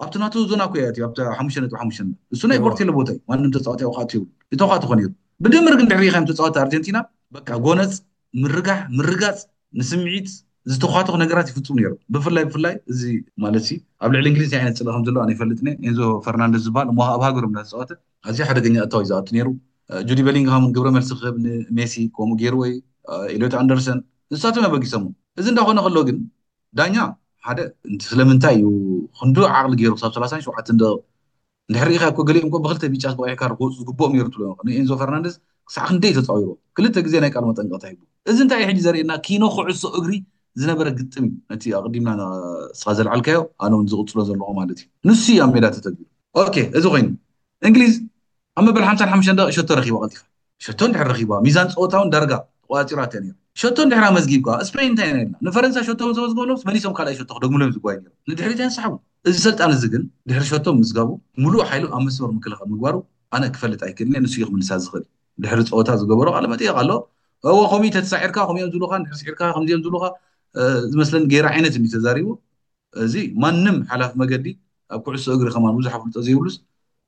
ኣብቲ ናቱ ዞና እኮ እያ እትዩ ኣብቲ ሓሙሽተ ነጥቢ ሓሙሽተ እሱ ናይ ቦርቴሎ ቦታ እዩ ማንም ተፃዋታይ ኣብኡ ከዓ እትዩ እተኳትኾ ነይሩ። ብድምር ግን ድሕሪ ሪኢኻዮም ተፃወቲ ኣርጀንቲና በቃ ጎነፅ ምርጋሕ ምርጋፅ ንስምዒት ዝተኳትኹ ነገራት ይፍፁም ነይሩ። ብፍላይ ብፍላይ እዚ ማለት ሲ ኣብ ልዕሊ እንግሊዝ እንታይ ዓይነት ፅልኢ ከም ዘለዎ ኣነ ይፈልጥን እየ። ኤንዞ ፈርናንደዝ ዝበሃል እሞ ኣብ ሃገሮም እናተፃወተ ኣዝዩ ሓደገኛ እታው እዩ ዝኣቱ ነይሩ። ጁዲ ቤሊንግሃም እውን ግብረ መልሲ ክህብ ንሜሲ ከምኡ ገይሩ ወይ ኤሊዮት ኣንደርሰን ንሳቶም ኣበጊሶም። እዚ እንዳኾነ ከሎ ግን ዳኛ ሓደ ስለምንታይ እዩ ክንዱ ዓቕሊ ገይሩ ክሳብ ሰላሳን ሸውዓተን ደቂቕ እንድሕር ርኢኻ እኮ ገሊኦም እኮ ብክልተ ቢጫ ብቀይሕ ካርድ ክወፁ ዝግብኦም ነይሩ ትብሎ ንኤንዞ ፈርናንደዝ ክሳዕ ክንደይ ተፃዊሩ ክልተ ግዜ ናይ ቃል መጠንቀቕታ ሂቡ። እዚ እንታይ እዩ ሕጂ ዘርእየና ኪኖ ኩዕሶ እግሪ ዝነበረ ግጥም እዩ። ነቲ ኣቕዲምና ንስኻ ዘልዓልካዮ ኣነ እውን ዝቕፅሎ ዘለኹ ማለት እዩ። ንሱ እዩ ኣብ ሜዳ ተተግቢሩ። ኦኬ እዚ ኮይኑ እንግሊዝ ኣብ መበል ሓምሳን ሓሙሽተን ደቂቕ ሸቶ ረኺባ ቀልጢፋ ሸቶ እንድሕር ረኺባ ሚዛን ፀወታ እውን ዳርጋ ተቆፃፂራቶ ነይሩ። ሸቶ እንድሕር ኣመዝጊብካ ስፔን እንታይ ነርና ንፈረንሳ ሸቶ ዘመዝገበሎምስ መሊሶም ካልኣይ ሸቶ ክደግምሎም ዝጓዩ ነይሮም ንድሕሪት ኣንሳሕቡ። እዚ ሰልጣን እዚ ግን ድሕሪ ሸቶ ምዝጋቡ ሙሉእ ሓይሉ ኣብ መስመር ምክልኻል ምግባሩ ኣነ ክፈልጥ ኣይክእልን እየ። ንሱ እዩ ክምልሳ ዝኽእል። ድሕሪ ፀወታ ዝገበሮ ቃለ መጠየቅ ኣሎ። እወ ከምኡ ተተሳዒርካ ከምኡ እዮም ዝብሉካ እንድሕር ስዒርካ ከምዚ እዮም ዝብሉካ ዝመስለኒ ገይረ ዓይነት እዩ ተዛሪቡ። እዚ ማንም ሓላፊ መገዲ ኣብ ኩዕሶ እግሪ ከማን ብዙሕ ኣፍልጦ ዘይብሉስ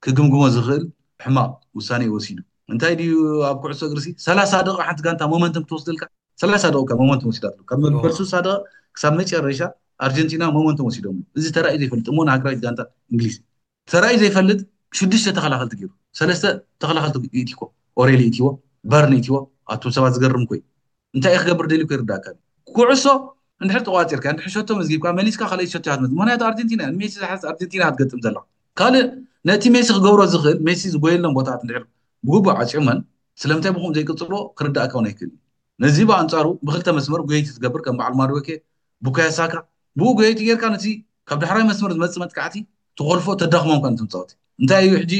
ክግምግሞ ዝኽእል ሕማቕ ውሳኔ እዩ ወሲዱ። እንታይ ድዩ ኣብ ኩዕሶ እግሪ ሲ ሰላሳ ደቂቕ ሓንቲ ጋንታ ሞመንተም ክትወስደልካ ሰላሳ ደቂቕ ካብ ሞመንተም ወሲዳትሉ ካብ መበል ስሳ ደቂቕ ክሳብ መጨረሻ ኣርጀንቲና ሞመንተም ወሲዶምሉ። እዚ ተራእዩ ዘይፈልጥ እሞ ንሃገራዊት ጋንታ እንግሊዝ ተራእዩ ዘይፈልጥ ሽዱሽተ ተኸላኸልቲ ገይሩ ሰለስተ ተኸላኸልቲ ኢትኮ ኦሬሊ ኢትዎ በርን ኢትዎ ኣቱም ሰባት ዝገርም ኮይ እንታይ ክገብር ደልዩ ይርዳእካ ኩዕሶ እንድሕር ተቋፂርካ እንድሕር ሸቶ መዝጊብካ መሊስካ ካልኣይ ሸቶ እያ ትመፅእ። ምክንያቱ ኣርጀንቲና እያ ንሜሲ ዝሓዝ ኣርጀንቲና እያ ትገጥም ዘላ። ካልእ ነቲ ሜሲ ክገብሮ ዝኽእል ሜሲ ዝጎየሎም ቦታታት እንድሕር ብግቡእ ዓፅዮመን ስለምንታይ ብኹም ዘይቅፅልዎ ክርዳእካ እውን ኣይክእል እዩ። ነዚ ብኣንፃሩ ብክልተ መስመር ጎየይቲ ትገብር ከም በዓል ማድወኬ ቡካዮ ሳካ ብኡ ጎየይቲ ጌርካ ነቲ ካብ ዳሕራይ መስመር ዝመፅእ መጥቃዕቲ ትኾልፎ ተዳኽሞም ከ ትምፃወት እንታይ እዩ ሕጂ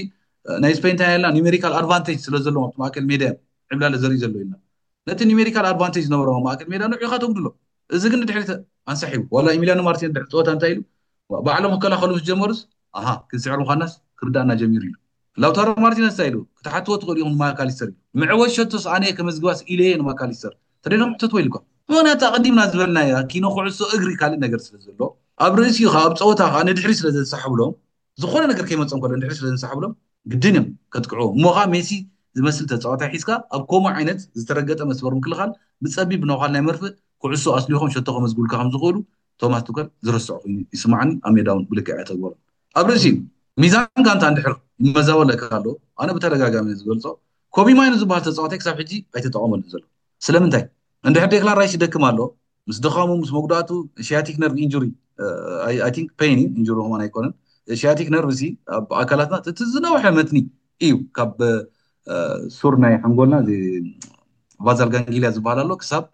ናይ ስፔን እንታይ ያልና ኒሜሪካል ኣድቫንቴጅ ስለ ዘለዎም ኣብቲ ማእከል ሜዳ እዮም ዕብላለ ዘርኢ ዘሎ ኢልና ነቲ ኒሜሪካል ኣድቫንቴጅ ዝነበሮ ማእከል ሜዳ ንዑ ኢኻ ተጉድሎ። እዚ ግን ድሕሪት ኣንሳሒቡ ዋላ ኢሚሊያኖ ማርቲን ድሕሪ ፀወታ እንታይ ኢሉ ባዕሎም ክከላኸሉ ምስ ጀመሩስ ኣሃ ክንስዕር ምዃናስ ክርዳእና ጀሚሩ ኢሉ። ላውታሮ ማርቲነስ እንታይ ኢሉ? ክትሓትዎ ትኽእሉ ኢኹም ንማካሊስተር ኢሉ። ምዕወት ሸቶስ ኣነ እየ ከመዝግባስ ኢለ እየ ንማካሊስተር። ተደይኖም ሕተትዎ ኢልኳ። ምክንያቱ ኣቐዲምና ዝበልናያ ኪኖ ኩዕሶ እግሪ ካልእ ነገር ስለ ዘሎ ኣብ ርእሲኡ ከዓ ኣብ ፀወታ ከዓ ንድሕሪ ስለ ዘንሳሕብሎም ዝኾነ ነገር ከይመፀም ከሎ ንድሕሪ ስለ ዘንሳሕብሎም ግድን እዮም ከጥቅዑ። እሞ ከዓ ሜሲ ዝመስል ተፃዋታይ ሒዝካ ኣብ ከምኡ ዓይነት ዝተረገጠ መስመር ምክልኻል ብፀቢብ ብነዃል ናይ መርፍእ ኩዕሶ ኣስሊኾም ሸቶ ከመዝግቡልካ ከም ዝኽእሉ ቶማስ ቱከል ዝረስዖ ኮይኑ ይስማዓኒ። ኣብ ሜዳ እውን ብልክዕ ኣይተግበሮም። ኣብ ርእሲኡ ሚዛን ጋንታ እንድሕር ይመዛበለካ ኣሎ ኣነ ብተደጋጋሚ ዝገልፆ ኮቢ ማይኑ ዝበሃል ተፃዋታይ ክሳብ ሕጂ ኣይተጠቐመሉ ዘሎ። ስለምንታይ? እንድሕር ዴክላን ራይስ ይደክም ኣሎ ምስ ድኻሙ ምስ መጉዳእቱ ሺያቲክ ነርቭ ኢንጁሪ ኣይ ቲንክ ፔን ኢንጁሪ ከማን ኣይኮነን። ሺያቲክ ነርቭ ሲ ኣብ ኣካላትና እቲ ዝነውሐ መትኒ እዩ ካብ ሱር ናይ ሓንጎልና ቫዛል ጋንጊልያ ዝበሃል ኣሎ ክሳብ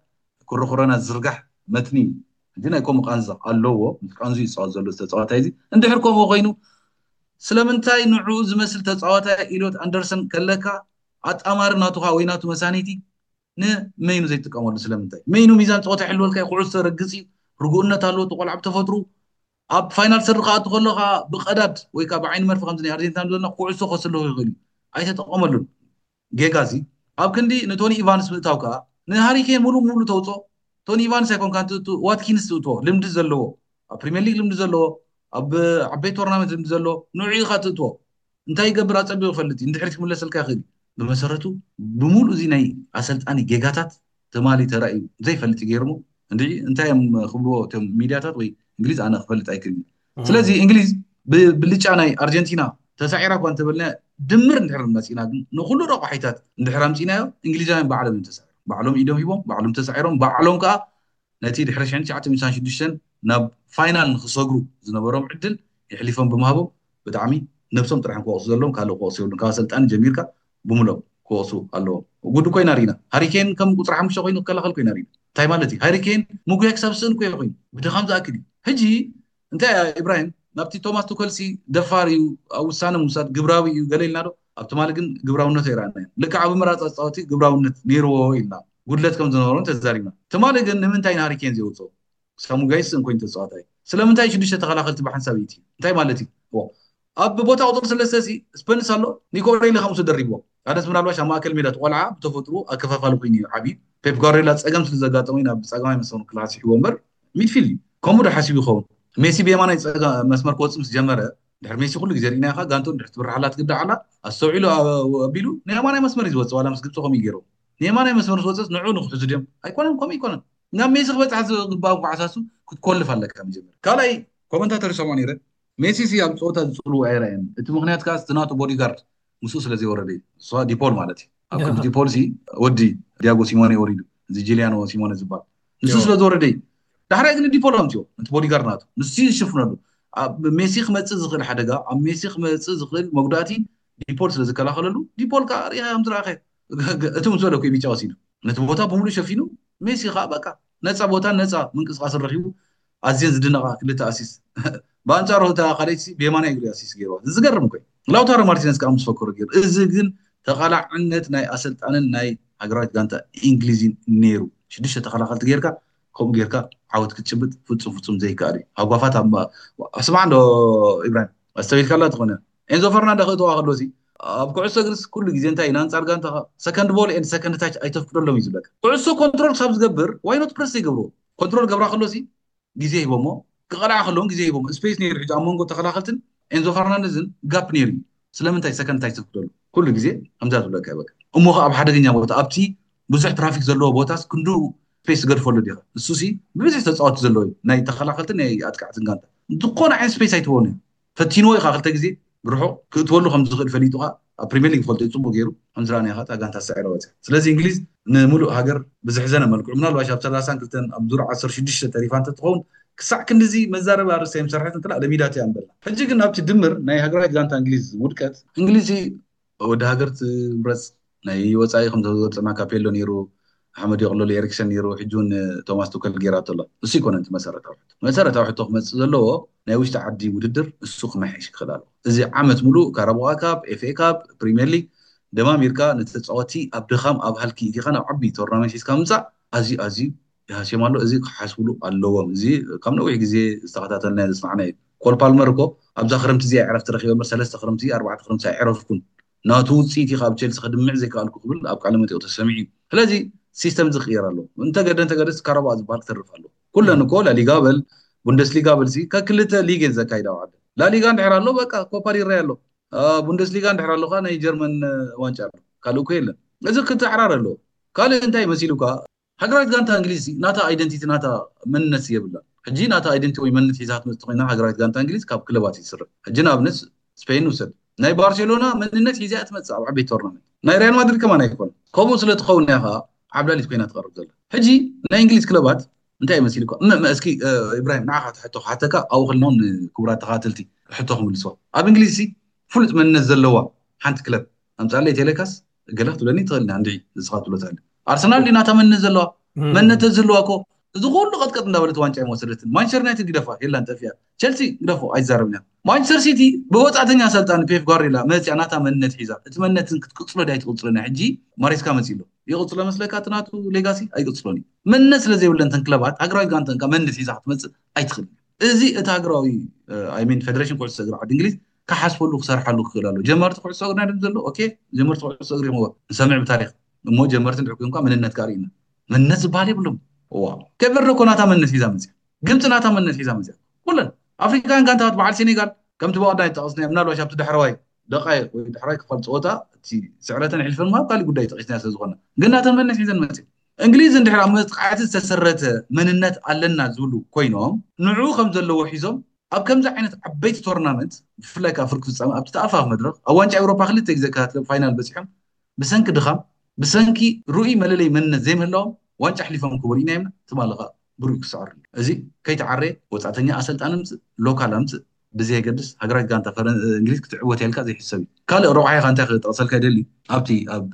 ኩርኩረና ዝርጋሕ መትኒ እዩ። እዚ ናይ ከምኡ ቃንዛ ኣለዎ። ምስ ቃንዙ ይፃወት ዘሎ ተፃዋታይ እዚ እንድሕር ከምኡ ኮይኑ ስለምንታይ ንዕኡ ዝመስል ተፃዋታይ ኢሎት ኣንደርሰን ከለካ ኣጣማሪ ናቱኻ ወይ ናቱ መሳኒቲ ንመይኑ ዘይጥቀመሉ ስለምንታይ? መይኑ ሚዛን ፀወታ ይሕልወልካ እዩ። ኩዕሶ ረግፅ እዩ። ርጉእነት ኣለዎ። እቲ ቆልዓ ብተፈጥሩ ኣብ ፋይናል ሰሪ ክኣቱ ከሎ ከዓ ብቀዳድ ወይ ከዓ ብዓይኒ መርፊ ከምዚ ናይ ኣርጀንቲና ዘለና ኩዕሶ ከስልኹ ይኽእል እዩ። ኣይተጠቐመሉን። ጌጋ እዚ ኣብ ክንዲ ንቶኒ ኢቫንስ ምእታው ከዓ ንሃሪኬን ሙሉ ሙሉ ተውፅኦ። ቶኒ ኢቫንስ ኣይኮንካ ትእቱ ዋትኪንስ ትእትዎ ልምዲ ዘለዎ ኣብ ፕሪሚየር ሊግ ልምዲ ዘለዎ ኣብ ዓበይቲ ቶርናመንት ልምዲ ዘለዎ ንዑ ኢኻ ትእትዎ። እንታይ ይገብር ኣፀቢቑ ይፈልጥ እዩ። ንድሕሪት ክምለሰልካ ይኽእል እዩ። ብመሰረቱ ብምሉእ እዚ ናይ ኣሰልጣኒ ጌጋታት ትማሊ ተራእዩ ዘይፈልጥ እዩ ገይርሞ እንድዒ እንታይ እዮም ክብልዎ እቶም ሚድያታት ወይ እንግሊዝ ኣነ ክፈልጥ ኣይክእል። ስለዚ እንግሊዝ ብብልጫ ናይ ኣርጀንቲና ተሳዒራ እኳ እንተበልና ድምር እንድሕር መፂና ግን ንኩሉ ረቋሒታት እንድሕር ኣምፂናዮ እንግሊዛውያን ባዕሎም እዮም ተሳዒሮም። ባዕሎም ኢዶም ሂቦም ባዕሎም ተሳዒሮም ባዕሎም ከዓ ነቲ ድሕሪ ሽሕን ትሽዓተ ሚእትን ሓምሳን ሽዱሽተን ናብ ፋይናል ንክሰግሩ ዝነበሮም ዕድል የሕሊፎም ብምሃቦም ብጣዕሚ ነብሶም ጥራሕ ክወቅሱ ዘለዎም ካልእ ክወቅሱ የብሉን። ካብ ኣሰልጣኒ ጀሚርካ ብምሎም ክወቅሱ ኣለዎም። ጉድ እኮ ኢና ርኢና። ሃሪኬን ከም ቁፅሪ ሓሙሽተ ኮይኑ ክከላኸል እኮ ኢና ርኢና። እንታይ ማለት እዩ? ሃሪኬን ምጉያይ ክሳብ ዝስእን እኮ እዩ ኮይኑ ብድኻም ዝኣክል እዩ። ሕጂ እንታይ እያ ኢብራሂም ናብቲ ቶማስ ቱከልሲ ደፋር እዩ ኣብ ውሳነ ምውሳድ ግብራዊ እዩ ገለ ኢልና ዶ? ኣብ ትማሊ ግን ግብራውነቱ ኣይረኣናዮን። ልክዕ ኣብ ምራፅ ኣፃወቲ ግብራውነት ነይርዎ ኢልና ጉድለት ከም ዝነበሮን ተዛሪብና። ትማሊ ግን ንምንታይ ንሃሪኬን ዘይወፅኦ? ሳሙ ጋይስ እንኮይን ተፃዋታይ ስለምንታይ ሽዱሽተ ተኸላኸልቲ ብሓንሳብ እቲ እንታይ ማለት እዩ? ኣብ ቦታ ቁፅሪ ሰለስተ ሲ ስፐንስ ኣሎ። ኒኮ ኦሬሊ ከምሱ ደሪብዎ ኣደስ ምናልባሽ ኣብ ማእከል ሜዳ ቆልዓ ብተፈጥሩ ኣከፋፋሊ ኮይኑ እዩ ዓብዩ። ፔፕ ጓርዲዮላ ፀገም ስለ ዘጋጠሙ ናብ ፀገማይ መስመር ክላሲሕዎ እምበር ሚድፊልድ እዩ። ከምኡ ዶ ሓሲቡ ይኸውን? ሜሲ ብየማናይ ፀጋ መስመር ክወፅእ ምስ ጀመረ ድሕሪ ሜሲ ኩሉ ግዜ ርኢና ኢኻ ጋንቱ ድሕሪ ትብርሓላ ትግዳዓላ ኣስተውዒሉ ኣቢሉ ንየማናይ መስመር እዩ ዝወፅእ ዋላ ምስ ግብፂ ከምኡ ገይሩ ንየማናይ መስመር ዝወፅእ ንዑ ንክሕዙ ድዮም ኣይኮነን ከምኡ ይኮነን ናብ ሜሲ ክበፅሕ ዝግባእ ኳዕሳሱ ክትኮልፍ ኣለካ መጀመር ካልኣይ ኮመንታተር ይሰምዖ ነይረ ሜሲ ሲ ኣብ ፀወታ ዝፅልዎ ኣይረኣየን እቲ ምክንያት ከዓ እቲ ናቱ ቦዲጋርድ ምስኡ ስለ ዘይወረደ እዩ እሷ ዲፖል ማለት እዩ ኣብ ክንዲ ዲፖል ሲ ወዲ ዲያጎ ሲሞኔ ወሪዱ እዚ ጂሊያኖ ሲሞኔ ዝበሃል ንሱ ስለ ዝወረደ እዩ ዳሕራይ ግን ዲፖል ኣምፅኦ ነቲ ቦዲጋርድ ናቱ ንሱ ይሽፍነሉ ኣብ ሜሲ ክመፅእ ዝኽእል ሓደጋ ኣብ ሜሲ ክመፅእ ዝኽእል መጉዳእቲ ዲፖል ስለ ዝከላኸለሉ ዲፖል ከዓ ሪኢኻ ከም ዝረኣኸ እቲ ምስ በለኩ ቢጫ ወሲዱ ነቲ ቦታ ብምሉእ ሸፊኑ ሜሲ ከዓ በቃ ነፃ ቦታ ነፃ ምንቅስቃስ ረኪቡ ኣዝየን ዝድነቃ ክልተ ኣሲስ ብኣንፃሩ እታ ካልኣይቲ ብየማናይ እግሪ ኣሲስ ገይርዋ ዝገርም ኮይ ላውታሮ ማርቲነስ ከዓ ምስ ፈከሩ ገይሩ እዚ ግን ተቃላዕነት ናይ ኣሰልጣንን ናይ ሃገራዊት ጋንታ እንግሊዝን ነይሩ ሽዱሽተ ተከላኸልቲ ገይርካ ከምኡ ገይርካ ዓወት ክትጭብጥ ፍፁም ፍፁም ዘይከኣል እዩ ሃጓፋት ኣብ ስማዕ እንዶ ኢብራሂም ኣስተቢልካላ ትኾነ ኤንዞ ፈርናንዶ ክእተዋ ከሎ ሲ ኣብ ኩዕሶ እግርስ ኩሉ ግዜ እንታይ እዩ ንኣንፃር ጋንታኻ ሰከንድ ቦል ኤንድ ሰከንድ ታች ኣይተፍቅደሎም እዩ ዝብለካ ኩዕሶ ኮንትሮል ክሳብ ዝገብር ዋይኖት ፕረስ ዘይገብርዎ ኮንትሮል ገብራ ከሎ ሲ ግዜ ሂቦሞ ክቐልዓ ከለውን ግዜ ሂቦሞ ስፔስ ነይሩ ሕጂ ኣብ መንጎ ተኸላኸልትን ኤንዞ ፈርናንደዝን ጋፕ ነይሩ እዩ ስለምንታይ ሰከንድ ታች ተፍቅደሉ ኩሉ ግዜ ከምዛ ዝብለካ ይበቃ እሞ ኣብ ሓደገኛ ቦታ ኣብቲ ብዙሕ ትራፊክ ዘለዎ ቦታስ ክንዱ ስፔስ ትገድፈሉ ዲኻ ንሱ ሲ ብብዝሒ ተፃወቲ ዘለዎ እዩ ናይ ተኸላኸልትን ናይ ኣጥቃዕትን ጋንታ ዝኾነ ዓይነት ስፔስ ኣይትበኑ እዩ ፈቲንዎ ኢኻ ክልተ ግዜ ብርሑቕ ክእትወሉ ከም ዝኽእል ፈሊጡ ኸዓ ኣብ ፕሪሚየር ሊግ ፈልጦ እዩ ፅቡቅ ገይሩ ከም ዝረኣናዮ ኸዓ እታ ጋንታ ሳዒራ ወፅያ ስለዚ እንግሊዝ ንምሉእ ሃገር ብዘሕዘነ መልክዑ ምናልባሽ ኣብ ሰላሳን ክልተን ኣብ ዙር ዓሰርተ ሽዱሽተ ተሪፋ እንተትኸውን ክሳዕ ክንድዚ መዛረቢ ኣርእስቲ ኣይምሰርሐትን ትላ ለሚዳት እያ ንበላ ሕጂ ግን ኣብቲ ድምር ናይ ሃገራዊት ጋንታ እንግሊዝ ውድቀት እንግሊዝ ወዲ ሃገር ትምረፅ ናይ ወፃኢ ከም ዘወፅና ካፔሎ ነይሩ ኣሕመድ የቕለሉ ኤሪክሰን ነይሩ ሕጂ እውን ቶማስ ቱከል ገይራቶ ኣሎ እሱ ይኮነ እቲ መሰረታዊ ሕቶ መሰረታዊ ሕቶ ክመፅእ ዘለዎ ናይ ውሽጢ ዓዲ ውድድር እሱ ክመሓየሽ ክኽእል ኣለዎ እዚ ዓመት ሙሉእ ካራቦዋ ካፕ ኤፍኤ ካፕ ፕሪሚየር ሊግ ደማሚርካ ንተፃወቲ ኣብ ድኻም ኣብ ሃልኪ ኢቲኻ ናብ ዓቢ ቶርናመንት ሒዝካ ምምፃእ ኣዝዩ ኣዝዩ ይሃስዮም ኣሎ እዚ ክሓስብሉ ኣለዎም እዚ ካብ ነዊሕ ግዜ ዝተኸታተልና ዝስማዕና እዩ ኮል ፓልመር እኮ ኣብዛ ክረምቲ እዚኣ ዕረፍቲ ረኪበ እምበር ሰለስተ ክረምቲ ኣርባዕተ ክረምቲ ኣይዕረፍኩን ናቱ ውፅኢት እዩ ካብ ቸልሲ ክድምዕ ዘይከኣልኩ ክብል ኣብ ቃለ መጠይቁ ተሰሚዑ እዩ። ስለዚ ሲስተም ዝቅየር ኣሎ። እንተገደ እንተገደስ ካረባ ዝበሃል ክተርፍ ኣሎ። ኩለን እኮ ላሊጋ በል ቡንደስሊጋ በልሲ ከክልተ ሊግ እየን ዘካይዳ ዓደ። ላሊጋ እንድሕር ኣሎ በቃ ኮፓ ዲል ሬይ ኣሎ። ቡንደስሊጋ እንድሕር ኣሎ ከዓ ናይ ጀርመን ዋንጫ ኣሎ። ካልእ እኮ የለን። እዚ ክትሕራር ኣሎ። ካልእ እንታይ መሲሉካ? ሃገራዊት ጋንታ እንግሊዝ ናታ ኣይደንቲቲ ናታ መንነት የብላ። ሕጂ ናታ ኣይደንቲ ወይ መንነት ሒዛ ክትመፅእ ኮይና ሃገራዊት ጋንታ እንግሊዝ ካብ ክለባት ይስርሕ። ሕጂ ንኣብነት ስፔን ውሰድ። ናይ ባርሴሎና መንነት ሒዛ እያ ትመፅእ ኣብ ዓበይቲ ቶርናመንት። ናይ ሪያል ማድሪድ ከማን ኣይኮነ። ከምኡ ስለ ትኸውን እያ ከዓ ዓብላሊት ኮይና ትቐርብ ዘላ። ሕጂ ናይ እንግሊዝ ክለባት እንታይ ይመስል እኮ እመ እመ እስኪ ኢብራሂም ንዓኻ ትሕቶ ሓተካ ኣብኡ ክልናውን ክቡራት ተኻተልቲ ሕቶ ክምልስዋ። ኣብ እንግሊዝ ሲ ፍሉጥ መንነት ዘለዋ ሓንቲ ክለብ ኣምፃለይ ቴሌካስ ገለ ክትብለኒ ትኽእል እንዲ ንስኻ ትብሎ ትኽእል። ኣርሰናል ድዩ ናታ መንነት ዘለዋ? መንነት ዘለዋ እኮ እዚ ኩሉ ቀጥቀጥ እንዳበለት ዋንጫ ይወሰደትን። ማንቸስተር ዩናይትድ ግደፋ የላን ጠፊያ። ቸልሲ ግደፎ ኣይዛረብና። ማንቸስተር ሲቲ ብወፃእተኛ ኣሰልጣኒ ፔፕ ጓርዲዮላ መፅያ ናታ መንነት ሒዛ እቲ መንነትን ክትቅፅሎ ዳይ ትቅፅሎ ናይ ሕጂ ማሬስካ መፅሎ ይቅፅሎ መስለካ እቲ ናቱ ሌጋሲ ኣይቅፅሎን እዩ። መንነት ስለ ዘይብለን ተን ክለባት ሃገራዊት ጋንተን ካብ መንነት ሒዛ ክትመፅእ ኣይትኽእል። እዚ እቲ ሃገራዊ ኣይሚን ፌደሬሽን ኩዕሶ እግሪ ዓዲ እንግሊዝ ክሓስበሉ ክሰርሓሉ ክኽእል ኣሎ። ጀመርቲ ኩዕሶ እግሪ ናይ ዘሎ ኦኬ ጀመርቲ ኩዕሶ እግሪ ሞ ንሰምዕ ብታሪክ እሞ ጀመርቲ እንድሕር ኮይንኳ መንነት ጋር ኢና መንነት ዝበሃል የብሎም። ዋ ከበርዶ ኮናታ መንነት ሒዛ መፅያ ግብፂ ናታ መንነት ሒዛ መፅያ ኩለን ኣፍሪካውያን ጋንታት በዓል ሴኔጋል ከምቲ ብቐዳይ ጠቐስናዮ ምናልባሽ ኣብቲ ዳሕረዋይ ደቃይቅ ወይ ዳሕረዋይ ክፋል ፀወታ እቲ ስዕረተን ሕልፈን ምሃብ ካሊእ ጉዳይ ጠቂስና ስለ ዝኾነ ግን ናተን መንነት ሒዘን መፅያ። እንግሊዝ እንድሕር ኣብ መጥቃዕቲ ዝተሰረተ መንነት ኣለና ዝብሉ ኮይኖም ንዑ ከም ዘለዎ ሒዞም ኣብ ከምዚ ዓይነት ዓበይቲ ቶርናመንት ብፍላይ ከዓ ፍርቂ ፍፃመ ኣብቲ ተኣፋፍ መድረክ ኣብ ዋንጫ ኤውሮፓ ክልተ ግዜ ክልተ ፋይናል በፂሖም ብሰንኪ ድኻም ብሰንኪ ርኡይ መለለይ መንነት ዘይምህላዎም ዋንጫ ኣሕሊፎም ክበልዩ ኢና ኢልና ትማሊ ከዓ ብርኡ ክስዕር እዩ። እዚ ከይተዓረየ ወፃእተኛ ኣሰልጣኒ ምፅእ ሎካል ኣምፅእ ብዘየገድስ ሃገራዊት ጋንታ ፈረን እንግሊዝ ክትዕወት ያልካ ዘይሕሰብ እዩ። ካልእ ረብዓኻ እንታይ ክጠቕሰልካ ይደሊ ኣብቲ ኣብ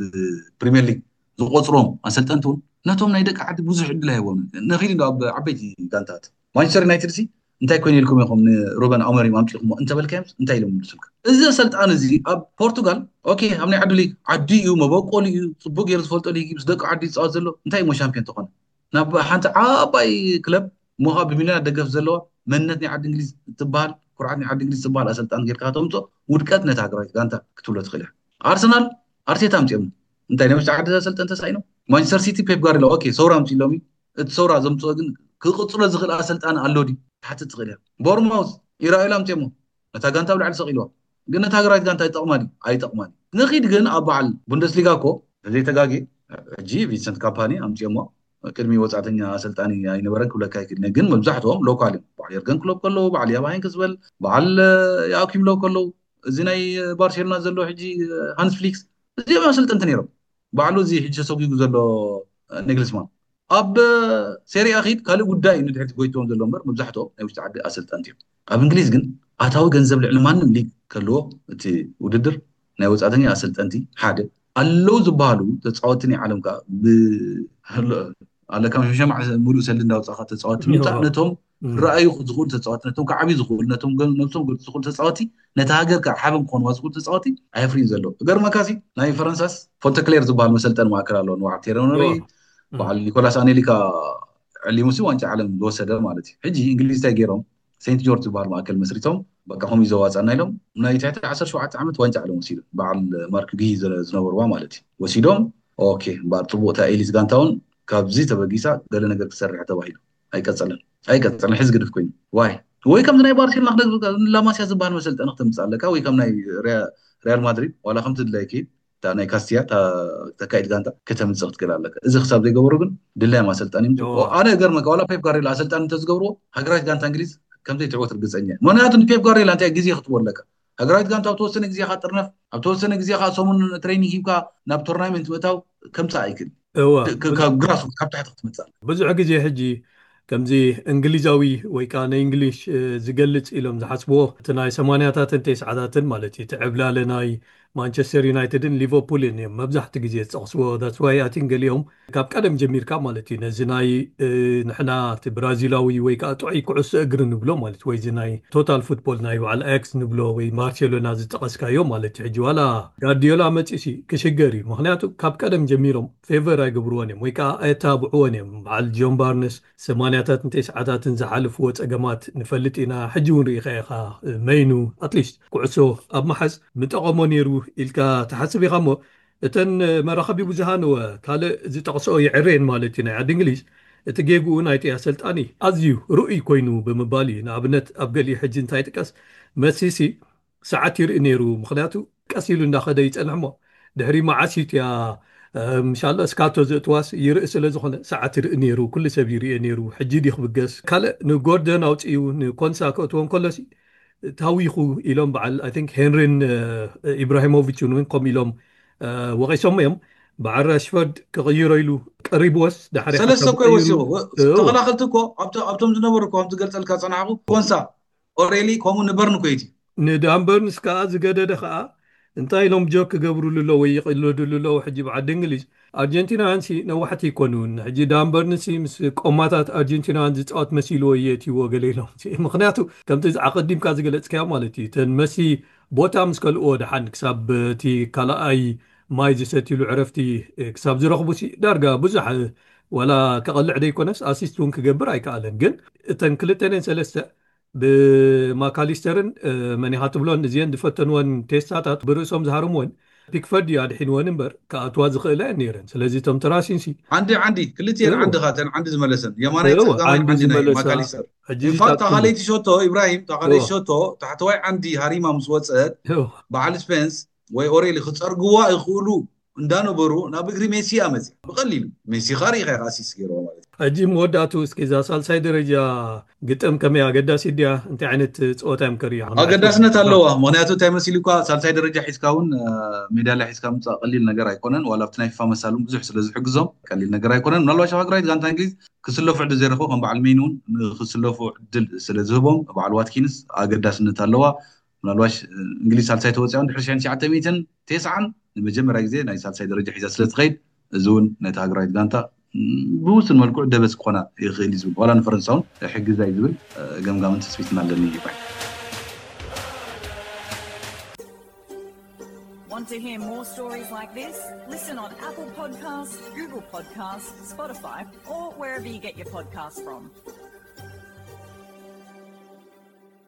ፕሪሚየር ሊግ ዝቆፅሮም ኣሰልጠንቲ እውን ነቶም ናይ ደቂ ዓዲ ብዙሕ ዕድል ኣይቦም ነኺድ ኣብ ዓበይቲ ጋንታት ማንቸስተር ዩናይትድ ሲ እንታይ ኮይኑ ኢልኩም ኢኹም ንሩበን ኣሞሪም ኣምፂኹሞ እንተበልካዮም እንታይ ኢሎም ምልሱልካ? እዚ ኣሰልጣኒ እዚ ኣብ ፖርቱጋል ኦኬ ኣብ ናይ ዓዱ ሊግ ዓዲ እዩ መበቆሉ እዩ ፅቡቅ ገይሩ ዝፈልጦ ሊግ ምስ ደቂ ዓዲ ይፃወት ዘሎ እንታይ እሞ ሻምፒዮን ተኾነ ናብ ሓንቲ ዓባይ ክለብ ሞኻ ብሚልዮናት ደገፍ ዘለዋ መንነት ናይ ዓዲ እንግሊዝ ትበሃል ኩርዓት ናይ ዓዲ እንግሊዝ ትበሃል ኣሰልጣን ጌርካ ከተምፅኦ ውድቀት ነታ ሃገራዊት ጋንታ ክትብሎ ትኽእል እያ። ኣርሰናል ኣርቴታ ኣምፅኦም እንታይ ናይ ውሽጢ ዓዲ ኣሰልጠን ተሳኢኖም ማንቸስተር ሲቲ ፔፕ ጋርዲዮላ ኦኬ ሰውራ ኣምፅሎም እዩ እቲ ሰውራ ዘምፅኦ ግን ክቕፅሎ ዝኽእል ኣሰልጣን ኣሎ ድዩ ትሓትት ትኽእል እያ። ቦርማውዝ ኢራኤል ኣምፅኦሞ ነታ ጋንታ ኣብ ላዕሊ ሰቒልዋ ግን ነታ ሃገራዊት ጋንታ ይጠቕማ ድዩ ኣይጠቕማን እዩ። ንኺድ ግን ኣብ በዓል ቡንደስሊጋ እኮ ዘይተጋጌ ሕጂ ቪንሰንት ካምፓኒ ኣምፅኦሞ ቅድሚ ወፃእተኛ ኣሰልጣኒ ኣይነበረን ክብለካ ይክእል ግን መብዛሕትኦም ሎካል እዮም። በዓል የርገን ክሎፕ ከለዉ በዓል ያብ ሃይንክስ በል በዓል ያኪም ሎው ከለዉ እዚ ናይ ባርሴሎና ዘሎ ሕጂ ሃንስ ፍሊክስ እዚኦም ኣሰልጠንቲ ነይሮም። ባዕሉ እዚ ሕጂ ተሰጒጉ ዘሎ ኔግልስማን ኣብ ሴሪያ ኺድ ካልእ ጉዳይ እዩ ንድሕርቲ ጎይትዎም ዘሎ እምበር መብዛሕትኦም ናይ ውሽጢ ዓዲ ኣሰልጠንቲ እዮም። ኣብ እንግሊዝ ግን ኣታዊ ገንዘብ ልዕሊ ማንም ሊግ ከልዎ እቲ ውድድር ናይ ወፃእተኛ ኣሰልጠንቲ ሓደ ኣለዉ ዝበሃሉ ተፃወቲ ናይ ዓለም ከዓ ኣለካ መሸማዕ ሙሉእ ሰልዲ እንዳውፃእካ ተፃወቲ ምምፃእ ነቶም ረኣዩ ዝኽእሉ ተፃወቲ ነቶም ከዓብዩ ዝኽእሉ ነቶም ነብሶም ገልፁ ዝኽእሉ ተፃወቲ ነቲ ሃገር ከዓ ሓበን ክኾንዋ ዝኽእሉ ተፃወቲ ኣየፍርዩ ዘሎ። ገርመካሲ ናይ ፈረንሳስ ፎንተክሌር ዝበሃል መሰልጠን ማእከል ኣለዎ ንባዕል ቴረኖሪ በዓል ኒኮላስ ኣኔሊካ ዕሊሙሲ ዋንጫ ዓለም ዝወሰደ ማለት እዩ። ሕጂ እንግሊዝ እንታይ ገይሮም ሴንት ጆርጅ ዝበሃል ማእከል መስሪቶም በቃ ከምኡ ዘዋፃና ኢሎም ናይ ትሕቲ ዓሰርተ ሸውዓተ ዓመት ዋንጫ ዓለም ወሲዱ በዓል ማርክ ጊ ዝነበርዋ ማለት እዩ ወሲዶም ኦኬ እምበኣር ፅቡቅ እታ ኤሊት ጋንታ እውን ካብዚ ተበጊሳ ገለ ነገር ክሰርሕ ተባሂሉ ኣይቀፀለን ኣይቀፀለን ሕዚ ግድፍ ኮይኑ ዋይ ወይ ከምዚ ናይ ባርሴሎና ክነግርካ ላማሲያ ዝበሃል መሰልጠኒ ክተምፅእ ኣለካ ወይ ከም ናይ ሪያል ማድሪድ ዋላ ከምቲ ድላይ ከይድ እታ ናይ ካስትያ እታ ተካይድ ጋንታ ከተምፅእ ክትክእል ኣለካ። እዚ ክሳብ ዘይገበሩ ግን ድላዮም ኣሰልጣኒ ይምፅኡ። ኣነ እገርመካ ዋላ ፔፕ ጋርዲዮላ ኣሰልጣኒ እንተዝገብርዎ ሃገራዊት ጋንታ እንግሊዝ ከምዘይትዕወት ርግፀኛ እየ። ምክንያቱ ንፔፕ ጋርዲዮላ እንታይ ግዜ ክትቦ ኣለካ ሃገራዊት ጋንታ ኣብ ተወሰነ ግዜ ካ ጥርነፍ ኣብ ተወሰነ ግዜ ካ ሰሙን ትሬኒንግ ሂብካ ናብ ቶርናመንት ምእታው ከምፃእ ኣይክእል እወ ካብ ግራስ ካብ ታሕቲ ክትመፅእ ኣለካ። ብዙሕ ግዜ ሕጂ ከምዚ እንግሊዛዊ ወይ ከዓ ናይ እንግሊሽ ዝገልፅ ኢሎም ዝሓስብዎ እቲ ናይ ሰማንያታትን ተስዓታትን ማለት እዩ እቲ ዕብላለ ናይ ማንቸስተር ዩናይትድን ሊቨርፑልን እዮም መብዛሕቲ ግዜ ዝጠቕስዎ that's why I think ገሊኦም ካብ ቀደም ጀሚርካ ማለት እዩ ነዚ ናይ ንሕና እቲ ብራዚላዊ ወይ ከዓ ጥዑይ ኩዕሶ እግሪ ንብሎ ማለት ወይ እዚ ናይ ቶታል ፉትቦል ናይ በዓል ኣያክስ ንብሎ ወይ ባርሴሎና ዝጠቐስካዮ ማለት እዩ ሕጂ ዋላ ጋርዲዮላ መፂሲ ክሽገር እዩ ምክንያቱ ካብ ቀደም ጀሚሮም ፌቨር ኣይገብርዎን እዮም ወይ ከዓ ኣየተባብዕዎን እዮም በዓል ጆን ባርነስ ምክንያታት ንተስዓታትን ዝሓለፍዎ ጸገማት ንፈልጥ ኢና። ሕጂ እውን ርኢኻ ኢኻ፣ መይኑ ኣትሊስት ኩዕሶ ኣብ መሓዝ ምጠቐሞ ነይሩ ኢልካ ትሓስብ ኢኻ እሞ፣ እተን መራኸቢ ብዙሃን እወ ካልእ ዝጠቕስኦ ይዕረየን ማለት እዩ። ናይ ዓዲ እንግሊዝ እቲ ጌግኡ ናይቲ ኣሰልጣኒ ኣዝዩ ርኡይ ኮይኑ ብምባል እዩ። ንኣብነት ኣብ ገሊኡ ሕጂ እንታይ ጥቀስ፣ መሲሲ ሰዓት ይርኢ ነይሩ። ምክንያቱ ቀስ ኢሉ እንዳኸደ ይጸንሕ እሞ ድሕሪ መዓስ እዩ እቲያ ምሻሎ እስካቶ ዘእትዋስ ይርኢ ስለ ዝኾነ ሰዓት ይርኢ ነይሩ። ኩሉ ሰብ ይርእዮ ነይሩ። ሕጂ ድዩ ክብገስ? ካልእ ንጎርደን ኣውፅኡ ንኮንሳ ከእትዎ እንከሎሲ ታዊኹ ኢሎም በዓል ኣይ ቲንክ ሄንሪን ኢብራሂሞቪችን እውን ከምኡ ኢሎም ወቒሶም እዮም። በዓል ራሽፈርድ ክቕይሮ ኢሉ ቀሪብዎስ ዳሕሪ ሰለስተ እኮ ወሲኹ። ተኸላኸልቲ እኮ ኣብቶም ዝነበሩ እኮ ከምቲ ገልፀልካ ፀናሕኩ ኮንሳ ኦሬሊ ከምኡ ንበርን እኮ እዩ። ንዳንበርንስ ከዓ ዝገደደ ከዓ እንታይ ኢሎም ጆክ ክገብሩሉ ኣለዉ ወይ ይቕልድሉ ኣለዉ? ሕጂ ብዓዲ እንግሊዝ ኣርጀንቲናውያን ሲ ነዋሕቲ ይኮኑን። ሕጂ ዳንበርንሲ ምስ ቆማታት ኣርጀንቲናውያን ዝፃወት መሲልዎ እየ እትይዎ ገለ ኢሎም። ምክንያቱ ከምቲ ኣቐዲምካ ዝገለፅካዮ ማለት እዩ። እተን መሲ ቦታ ምስ ከልእዎ ደሓን ክሳብ እቲ ካልኣይ ማይ ዝሰትይሉ ዕረፍቲ ክሳብ ዝረኽቡ ሲ ዳርጋ ብዙሕ ዋላ ከቐልዕ ደይኮነስ ኣሲስት እውን ክገብር ኣይከኣለን። ግን እተን ክልተ ነን ሰለስተ ብማካሊስተርን መኒኻ ትብሎን እዚአን ዝፈተንወን ቴስታታት ብርእሶም ዝሃርምወን ፒክፈርድ እዩ ኣድሒንወን እምበር ክኣትዋ ዝኽእላ እየን ነይረን። ስለዚ እቶም ተራሲንሲ ዓንዲ ዓንዲ ክልቲኤን ዓንዲ ካተን ዓንዲ ዝመለሰን የማናይ ጸጋማይ ዓንዲ ናይ ማካሊስተር። ኢንፋክት ታኻለይቲ ሸቶ ኢብራሂም ታኻለይቲ ሸቶ ታሕተዋይ ዓንዲ ሃሪማ ምስ ወፀት በዓል ስፔንስ ወይ ኦሬሊ ክፀርግዋ ይኽእሉ እንዳነበሩ ናብ እግሪ ሜሲ እያ መፅያ ብቐሊሉ። ሜሲ ኻሪ ኢኻ ኢኻ ኣሲስት ገይርዎ ማለት እዩ። ሕጂ መወዳእቱ እስኪ እዛ ሳልሳይ ደረጃ ግጥም ከመይ ኣገዳሲ ድያ? እንታይ ዓይነት ፀወታ እዮም ከርእዩ? ኣገዳስነት ኣለዋ። ምክንያቱ እንታይ መሲሉ እኳ ሳልሳይ ደረጃ ሒዝካ እውን ሜዳልያ ሒዝካ ምፃእ ቀሊል ነገር ኣይኮነን። ዋላ ኣብቲ ናይ ፊፋ መሳሉ ብዙሕ ስለ ዝሕግዞም ቀሊል ነገር ኣይኮነን። ምናልባት ሸፋግራዊት ጋንታ እንግሊዝ ክስለፉ ዕድል ዘይረኽቡ ከም በዓል ሜይን እውን ንክስለፉ ዕድል ስለ ዝህቦም በዓል ዋትኪንስ ኣገዳስነት ኣለዋ። ምናልባሽ እንግሊዝ ሳልሳይ ተወፂኣን ድሕሪ ሽሕን ትሽዓተ ሚእትን ተስዓን ንመጀመርያ ግዜ ናይ ሳልሳይ ደረጃ ሒዛ ስለ ትኸይድ እዚ እውን ነቲ ሃገራዊት ጋንታ ብውሱን መልክዑ ደበስ ክኾና ይኽእል እዩ ዝብል ዋላ ንፈረንሳ እውን ሕግዛ እዩ ዝብል ገምጋምን ትፅቢትን ኣለኒ ይባይ። Want to hear more stories like this? Listen on Apple Podcasts, Google Podcasts, Spotify, or wherever you get your podcasts from.